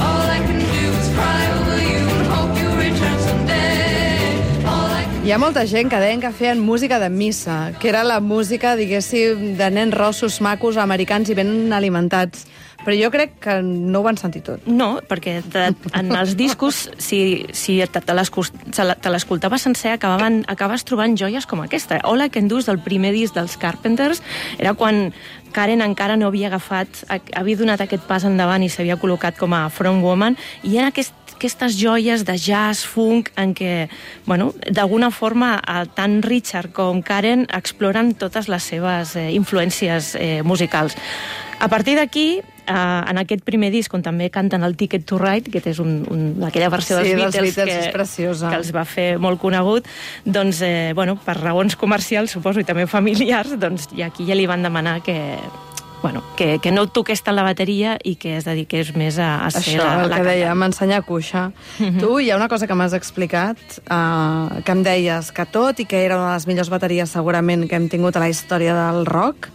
All I can do is cry over you and hope you return someday. All I can... Hi ha molta gent que deien que feien música de missa, que era la música, diguéssim, de nens rossos, macos, americans i ben alimentats. Però jo crec que no ho van sentir tot. No, perquè de, en els discos, si, si te, te l'escoltaves sencer, acabaven, acabes trobant joies com aquesta. All I Can Do és del primer disc dels Carpenters. Era quan Karen encara no havia agafat, havia donat aquest pas endavant i s'havia col·locat com a frontwoman, i era aquest aquestes joies de jazz, funk, en què, bueno, d'alguna forma, tant Richard com Karen exploren totes les seves eh, influències eh, musicals. A partir d'aquí, eh, en aquest primer disc, on també canten el Ticket to Ride, que és un, un, aquella versió sí, dels Beatles, dels Beatles que, és preciosa, que els va fer molt conegut, doncs, eh, bueno, per raons comercials, suposo, i també familiars, doncs, i aquí ja li van demanar que... Bueno, que, que no toqués tant la bateria i que es dediqués més a, a ser Això, la, la el que deia, m'ensenyar a cuixa. Uh-huh. Tu, hi ha una cosa que m'has explicat, uh, que em deies que tot i que era una de les millors bateries segurament que hem tingut a la història del rock,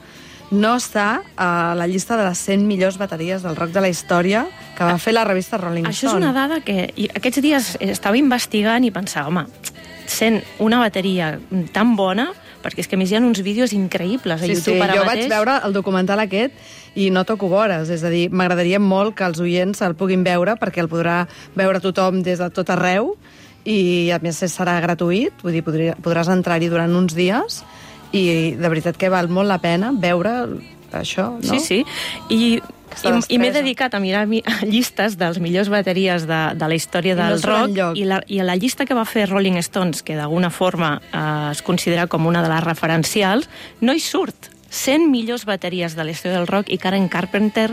no està a la llista de les cent millors bateries del rock de la història que va fer la revista Rolling Stone. Això és una dada que aquests dies estava investigant i pensava, home, sent una bateria tan bona, perquè és que a més hi ha uns vídeos increïbles a sí, YouTube sí, ara jo mateix. vaig veure el documental aquest i no toco vores, és a dir, m'agradaria molt que els oients el puguin veure perquè el podrà veure tothom des de tot arreu i a més serà gratuït, vull dir, podria, podràs entrar-hi durant uns dies i de veritat que val molt la pena veure això, no? Sí, sí, i... I, i m'he dedicat a mirar llistes dels millors bateries de, de la història del no rock i la, i la llista que va fer Rolling Stones, que d'alguna forma eh, es considera com una de les referencials, no hi surt. cent millors bateries de la història del rock i Karen Carpenter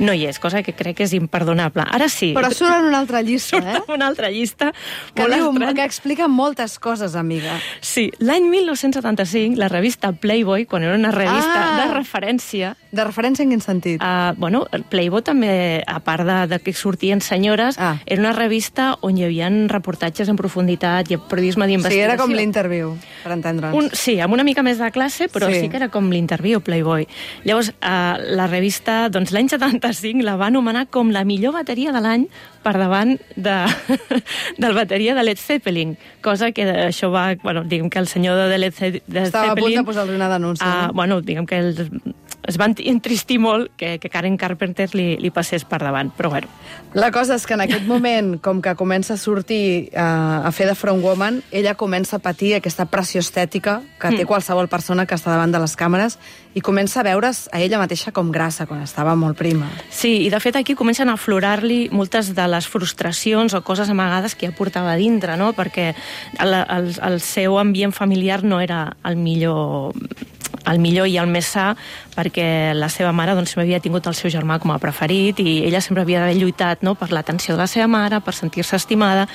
no hi és, cosa que crec que és imperdonable. Ara sí. Però surt en una altra llista, surt eh? en una altra llista. Que, diu, que explica moltes coses, amiga. Sí. L'any mil nou-cents setanta-cinc, la revista Playboy, quan era una revista ah, de referència... De referència en quin sentit? Uh, bueno, Playboy també, a part de, de que sortien senyores, ah. era una revista on hi havia reportatges en profunditat i periodisme d'investigació. Sí, era com l'interviu, per entendre'ns. Un, sí, amb una mica més de classe, però sí, sí que era com l'interviu, Playboy. Llavors, uh, la revista, doncs l'any setanta-cinc la va anomenar com la millor bateria de l'any per davant de, del bateria de Led Zeppelin, cosa que això va, bueno, diguem que el senyor de Led Zeppelin... Estava a punt de posar-li una denúncia. Uh, no? Bueno, diguem que el, es van entristir molt que, que Karen Carpenter li, li passés per davant, però bueno. La cosa és que en aquest moment, com que comença a sortir uh, a fer de frontwoman, ella comença a patir aquesta pressió estètica que té mm. qualsevol persona que està davant de les càmeres i comença a veure's a ella mateixa com grassa quan estava molt prima. Sí, i de fet aquí comencen a aflorar-li moltes de les frustracions o coses amagades que ja portava dintre, no? Perquè el, el, el seu ambient familiar no era el millor el millor i el més sa, perquè la seva mare doncs, sempre havia tingut el seu germà com a preferit i ella sempre havia d'haver lluitat, no?, per l'atenció de la seva mare, per sentir-se estimada,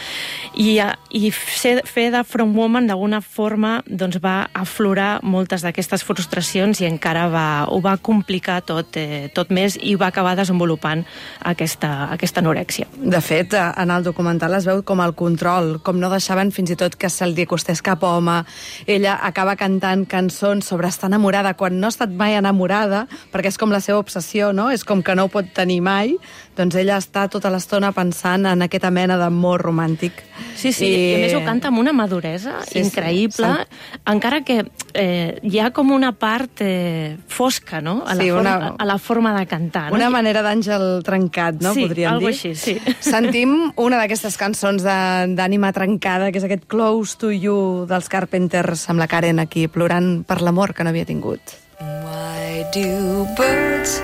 i, i ser, fer de front woman d'alguna forma doncs, va aflorar moltes d'aquestes frustracions i encara va, ho va complicar tot, eh, tot més i va acabar desenvolupant aquesta, aquesta anorèxia. De fet, en el documental es veu com el control, com no deixaven fins i tot que se li acostés cap home. Ella acaba cantant cançons sobre estar enamorada quan no ha estat mai enamorada, perquè és com la seva obsessió, no? És com que no ho pot tenir mai, doncs ella està tota l'estona pensant en aquesta mena d'amor romàntic. Sí, sí, i, i a més ho canta amb una maduresa sí, increïble, sí. Encara que eh, hi ha com una part eh, fosca, no?, a la, sí, forma, una, a la forma de cantar. No? Una manera d'àngel trencat, no?, sí, podríem dir. Sí, així, sí. Sentim una d'aquestes cançons d'ànima trencada, que és aquest Close to You dels Carpenters, amb la Karen aquí plorant per l'amor que no havia tingut. Why do birds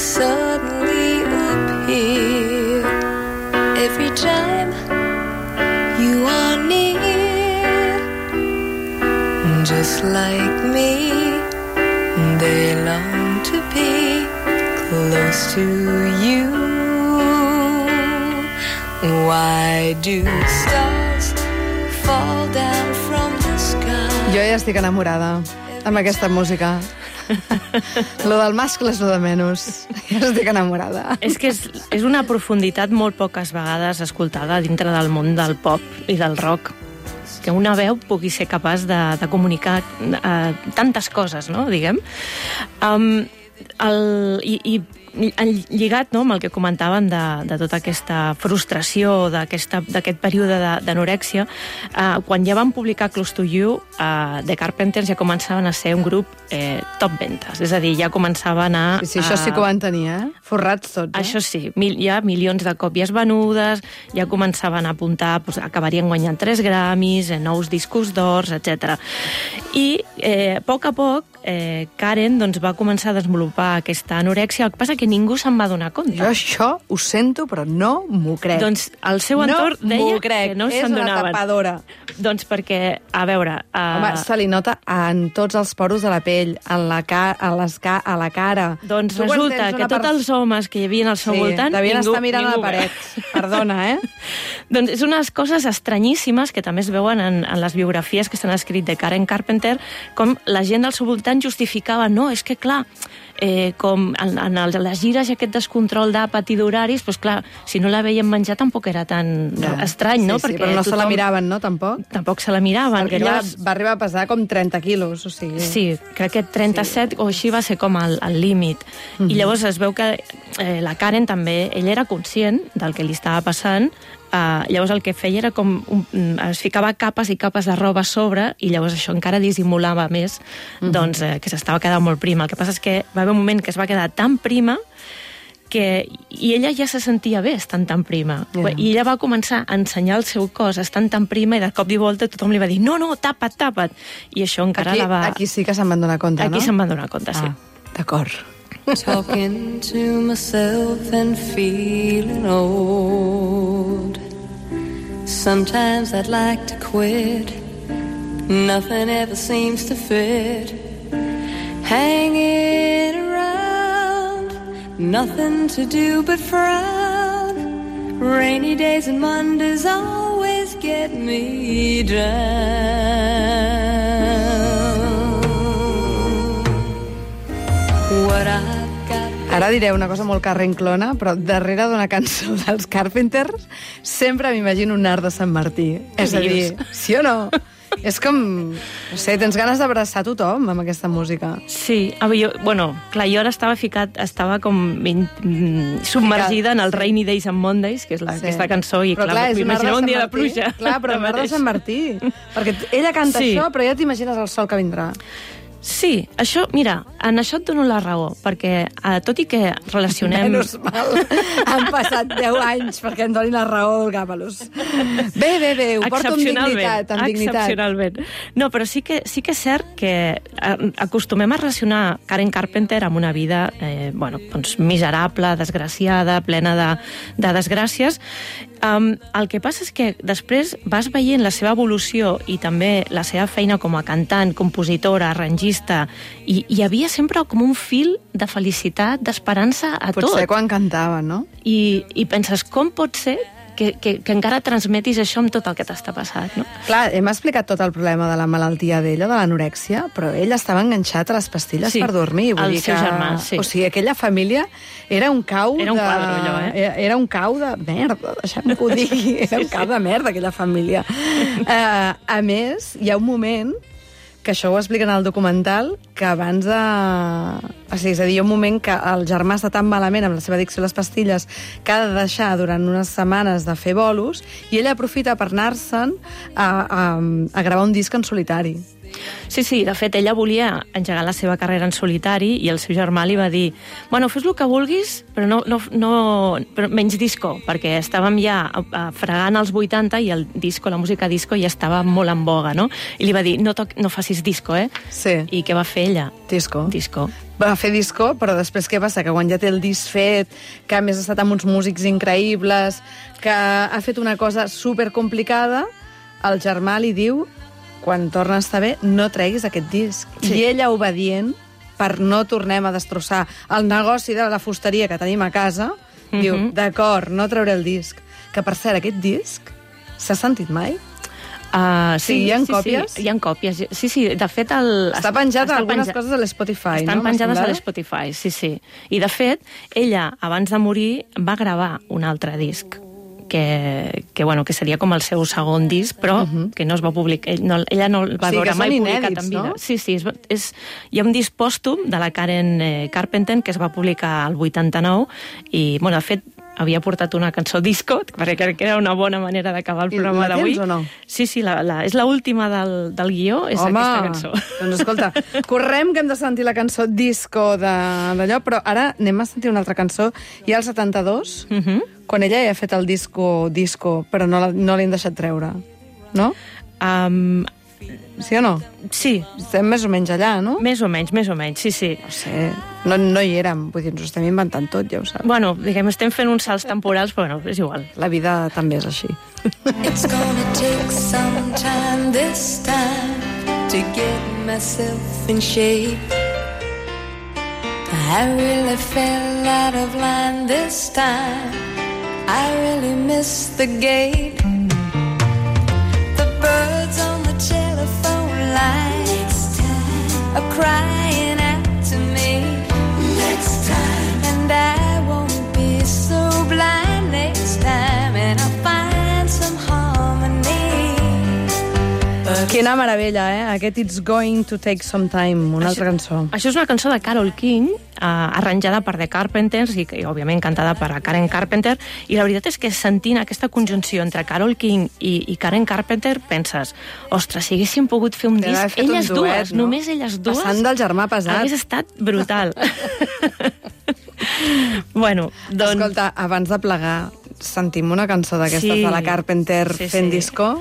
suddenly appear every time you are near? Just like me, they long to be close to you. Why do stars fall down from the sky? Jo ja estic enamorada amb aquesta música. Lo del mascle és lo de menys. Ja estic enamorada. És que és, és una profunditat molt poques vegades escoltada dintre del món del pop i del rock, que una veu pugui ser capaç de, de comunicar uh, tantes coses, no?, diguem. Um, el, i, i lligat, no?, amb el que comentàvem de, de tota aquesta frustració, d'aquest període d'anorèxia, eh, quan ja van publicar Close to You, eh, The Carpenters ja començaven a ser un grup eh, top ventes, és a dir, ja començaven a... Sí, sí, això sí que ho van tenir, eh? Forrats tots, eh? Això sí, mil, hi ha milions de còpies venudes, ja començaven a apuntar, doncs, acabarien guanyant tres Grammys, eh, nous discos d'ors, etcètera. I eh, a poc a poc eh, Karen doncs, va començar a desenvolupar aquesta anorèxia, el que passa que ningú se'n va donar compte. Jo això ho sento, però no m'ho crec. Doncs el seu entorn no deia crec. que no se'n donaven. És una tapadora. Doncs perquè, a veure... Uh... Home, se li nota en tots els poros de la pell, en la ca a, les ca a la cara. Doncs tu resulta que tots els homes que hi havia al seu sí, voltant... devien ningú, estar mirant ningú a la paret. Perdona, eh? Doncs és unes coses estranyíssimes que també es veuen en, en les biografies que s'han escrit de Karen Carpenter, com la gent del seu voltant justificava, no, és que clar, eh, com en, en el, les gires i aquest descontrol d'àpat i d'horaris, doncs clar, si no la veien menjar tampoc era tan no. estrany, no? Sí, sí, però no tothom... se la miraven, no, tampoc? Tampoc se la miraven. Perquè clar, llavors... va arribar a pesar com trenta quilos, o sigui... Sí, crec que trenta-set sí. o així va ser com el, el límit. Mm-hmm. I llavors es veu que eh, la Karen també, ella era conscient del que li estava passant. Uh, llavors el que feia era com un, es ficava capes i capes de roba a sobre i llavors això encara dissimulava més mm-hmm. doncs, eh, que s'estava quedant molt prima. El que passa és que va haver un moment que es va quedar tan prima que, i ella ja se sentia bé estant tan prima. Yeah. I ella va començar a ensenyar el seu cos estant tan prima i de cop i volta tothom li va dir no, no, tapa't, tapa't. I això encara aquí, la va... Aquí sí que se'n van donar compte, aquí no? Aquí se'n van donar compte, sí. Ah, d'acord. Talking to myself and feeling old. Sometimes I'd like to quit. Nothing ever seems to fit. Hanging around, nothing to do but frown. Rainy days and Mondays always get me down. What I've got. Ara diré una cosa molt carrenclona, però darrere d'una cançó dels Carpenters sempre m'imagino un art de Sant Martí. És a dir, sí o no? És com, no sé, tens ganes d'abraçar tothom amb aquesta música. Sí, jo, bueno, clar, jo ara estava ficat, estava com mm, submergida ficat, en el Rainy Days and Mondays, que és la, sí. aquesta cançó, i però clar, clar m'imagino un dia de pluja. Clar, però un art de Sant Martí. Perquè ella canta sí. això, però ja t'imagines el sol que vindrà. Sí, això, mira, en això et dono la raó, perquè eh, tot i que relacionem... Menys mal, han passat deu anys perquè em doni la raó el Gàpalos. Bé, bé, bé, ho porto amb dignitat, amb dignitat. Excepcionalment. No, però sí que, sí que és cert que acostumem a relacionar Karen Carpenter amb una vida eh, bueno, doncs, miserable, desgraciada, plena de, de desgràcies. Um, el que passa és que després vas veient la seva evolució i també la seva feina com a cantant, compositora, arrangista, l'artista, i hi havia sempre com un fil de felicitat, d'esperança a tot. Potser quan cantava, no? I, i penses, com pot ser que, que, que encara transmetis això amb tot el que t'està passant, no? Clar, hem explicat tot el problema de la malaltia d'ella, de l'anorèxia, però ell estava enganxat a les pastilles Sí, per dormir. Vull el dir seu que... germà, sí. O sigui, aquella família era un cau Era un de... quadre, allò, eh? Era, era un cau de merda, deixem que ho digui. Era un cau de merda, aquella família. Uh, a més, hi ha un moment que això ho expliquen al documental, que abans de... O sigui, és a dir, hi ha un moment que el germà està tan malament amb la seva addicció a les pastilles que ha de deixar durant unes setmanes de fer bolos i ell aprofita per anar-se'n a, a, a gravar un disc en solitari. Sí, sí, de fet, ella volia engegar la seva carrera en solitari i el seu germà li va dir bueno, fes el que vulguis, però, no, no, no, però menys disco, perquè estàvem ja fregant als vuitanta i el disco, la música disco ja estava molt en boga, no? I li va dir, no, toc, no facis disco, eh? Sí. I què va fer ella? Disco. Disco. Va fer disco, però després què passa? Que quan ja té el disc fet, que a més ha estat amb uns músics increïbles, que ha fet una cosa supercomplicada, el germà li diu quan torna a estar bé, no treguis aquest disc. Sí. I ella, obedient, per no tornem a destrossar el negoci de la fusteria que tenim a casa, mm-hmm. diu, d'acord, no trauré el disc. Que, per cert, aquest disc s'ha sentit mai? Uh, sí, sí, hi ha sí, còpies? Sí, hi ha còpies. Sí, sí, de fet... El, està penjat està algunes penja... coses a l'Spotify, no? Estan penjades a l'Spotify, sí, sí. I, de fet, ella, abans de morir, va gravar un altre disc, que, que, bueno, que seria com el seu segon disc, però uh -huh. que no es va publicar. Ell no, ella no el va o sigui, veure mai inèdits, publicat en vida. No? Sí, sí, és, és, hi ha un disc pòstum de la Karen eh, Carpenter que es va publicar al vuitanta-nou i, bueno, de fet, havia portat una cançó disco, perquè crec que era una bona manera d'acabar el programa d'avui. I la tens o no? Sí, sí, la, la, és l'última del, del guió, és Home, aquesta cançó. Doncs escolta, correm que hem de sentir la cançó disco d'allò, però ara anem a sentir una altra cançó. Hi ha el setanta-dos, uh -huh. quan ella ja ha fet el disco disco, però no, la, no l'hem deixat treure, no? Um, sí o no? Sí. Estem més o menys allà, no? Més o menys, més o menys, sí, sí. No sé, no, no hi érem, vull dir, ens ho estem inventant tot, ja ho saps. Bueno, diguem, estem fent uns salts temporals, però bueno, és igual. La vida també és així. It's gonna take some time this time to get myself in shape. I really fell out of line this time. I really missed the gate. The birds on the telephone lines are crying out to me. Next time. And I won't be so blind next time. And I'll find some harmony. But Quina meravella, eh? Aquest It's Going to Take Some Time, una altra cançó. Això és una cançó de Carole King, eh, arranjada per The Carpenters i, i, òbviament, cantada per Karen Carpenter. I la veritat és que sentint aquesta conjunció entre Carole King i, i Karen Carpenter penses, ostres, si haguéssim pogut fer un Deve haver disc, fet un elles duet, dues, no? només elles dues... Passant del germà pesat. Hagués estat brutal. Bueno, doncs... Escolta, abans de plegar, sentim una cançó d'aquestes Sí. de la Carpenter Sí, fent sí. disco?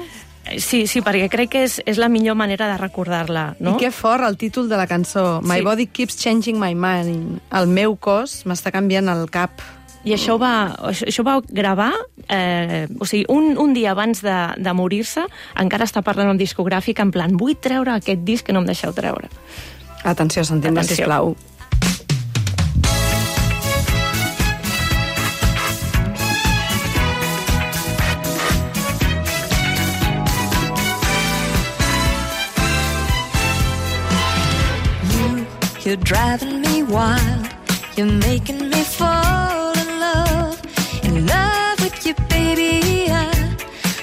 Sí, sí, perquè crec que és, és la millor manera de recordar-la, no? I que fort el títol de la cançó. My Sí. body keeps changing my mind. El meu cos m'està canviant el cap. I això va, això, això va gravar, eh, o sigui, un, un dia abans de, de morir-se, encara està parlant amb discogràfica, en plan, vull treure aquest disc que no em deixeu treure. Atenció, sentim-la, Atenció. sisplau. you're driving me wild. You're making me fall in love, in love with you, baby.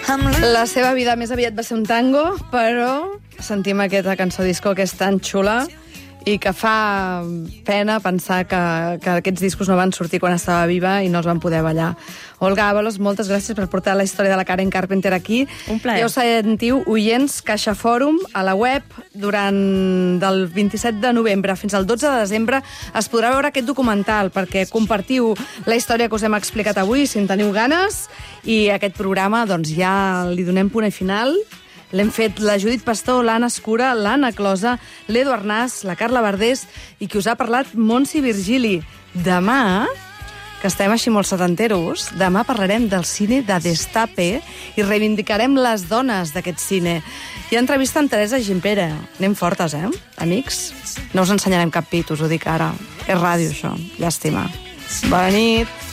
I'm La seva vida més aviat va ser un tango, però sentim aquesta cançó disco que és tan xula i que fa pena pensar que, que aquests discos no van sortir quan estava viva i no els van poder ballar. Olga Ábalos, moltes gràcies per portar la història de la Karen Carpenter aquí. Un plaer. Ja ho sentiu, oients, Caixa Fòrum, a la web, durant del vint-i-set de novembre fins al dotze de desembre es podrà veure aquest documental perquè compartiu la història que us hem explicat avui, si en teniu ganes, i aquest programa doncs, ja li donem punt i final. L'hem fet la Judit Pastor, l'Anna Escura, l'Anna Closa, l'Edu Arnàs, la Carla Verdés i qui us ha parlat, Montse Virgili. Demà que estem així molt setanteros, demà parlarem del cine de Destape i reivindicarem les dones d'aquest cine. Hi ha entrevista amb Teresa Gimpera. Anem fortes, eh, amics? No us ensenyarem cap pit, us ho dic ara. És ràdio, això. Llàstima. Bona nit.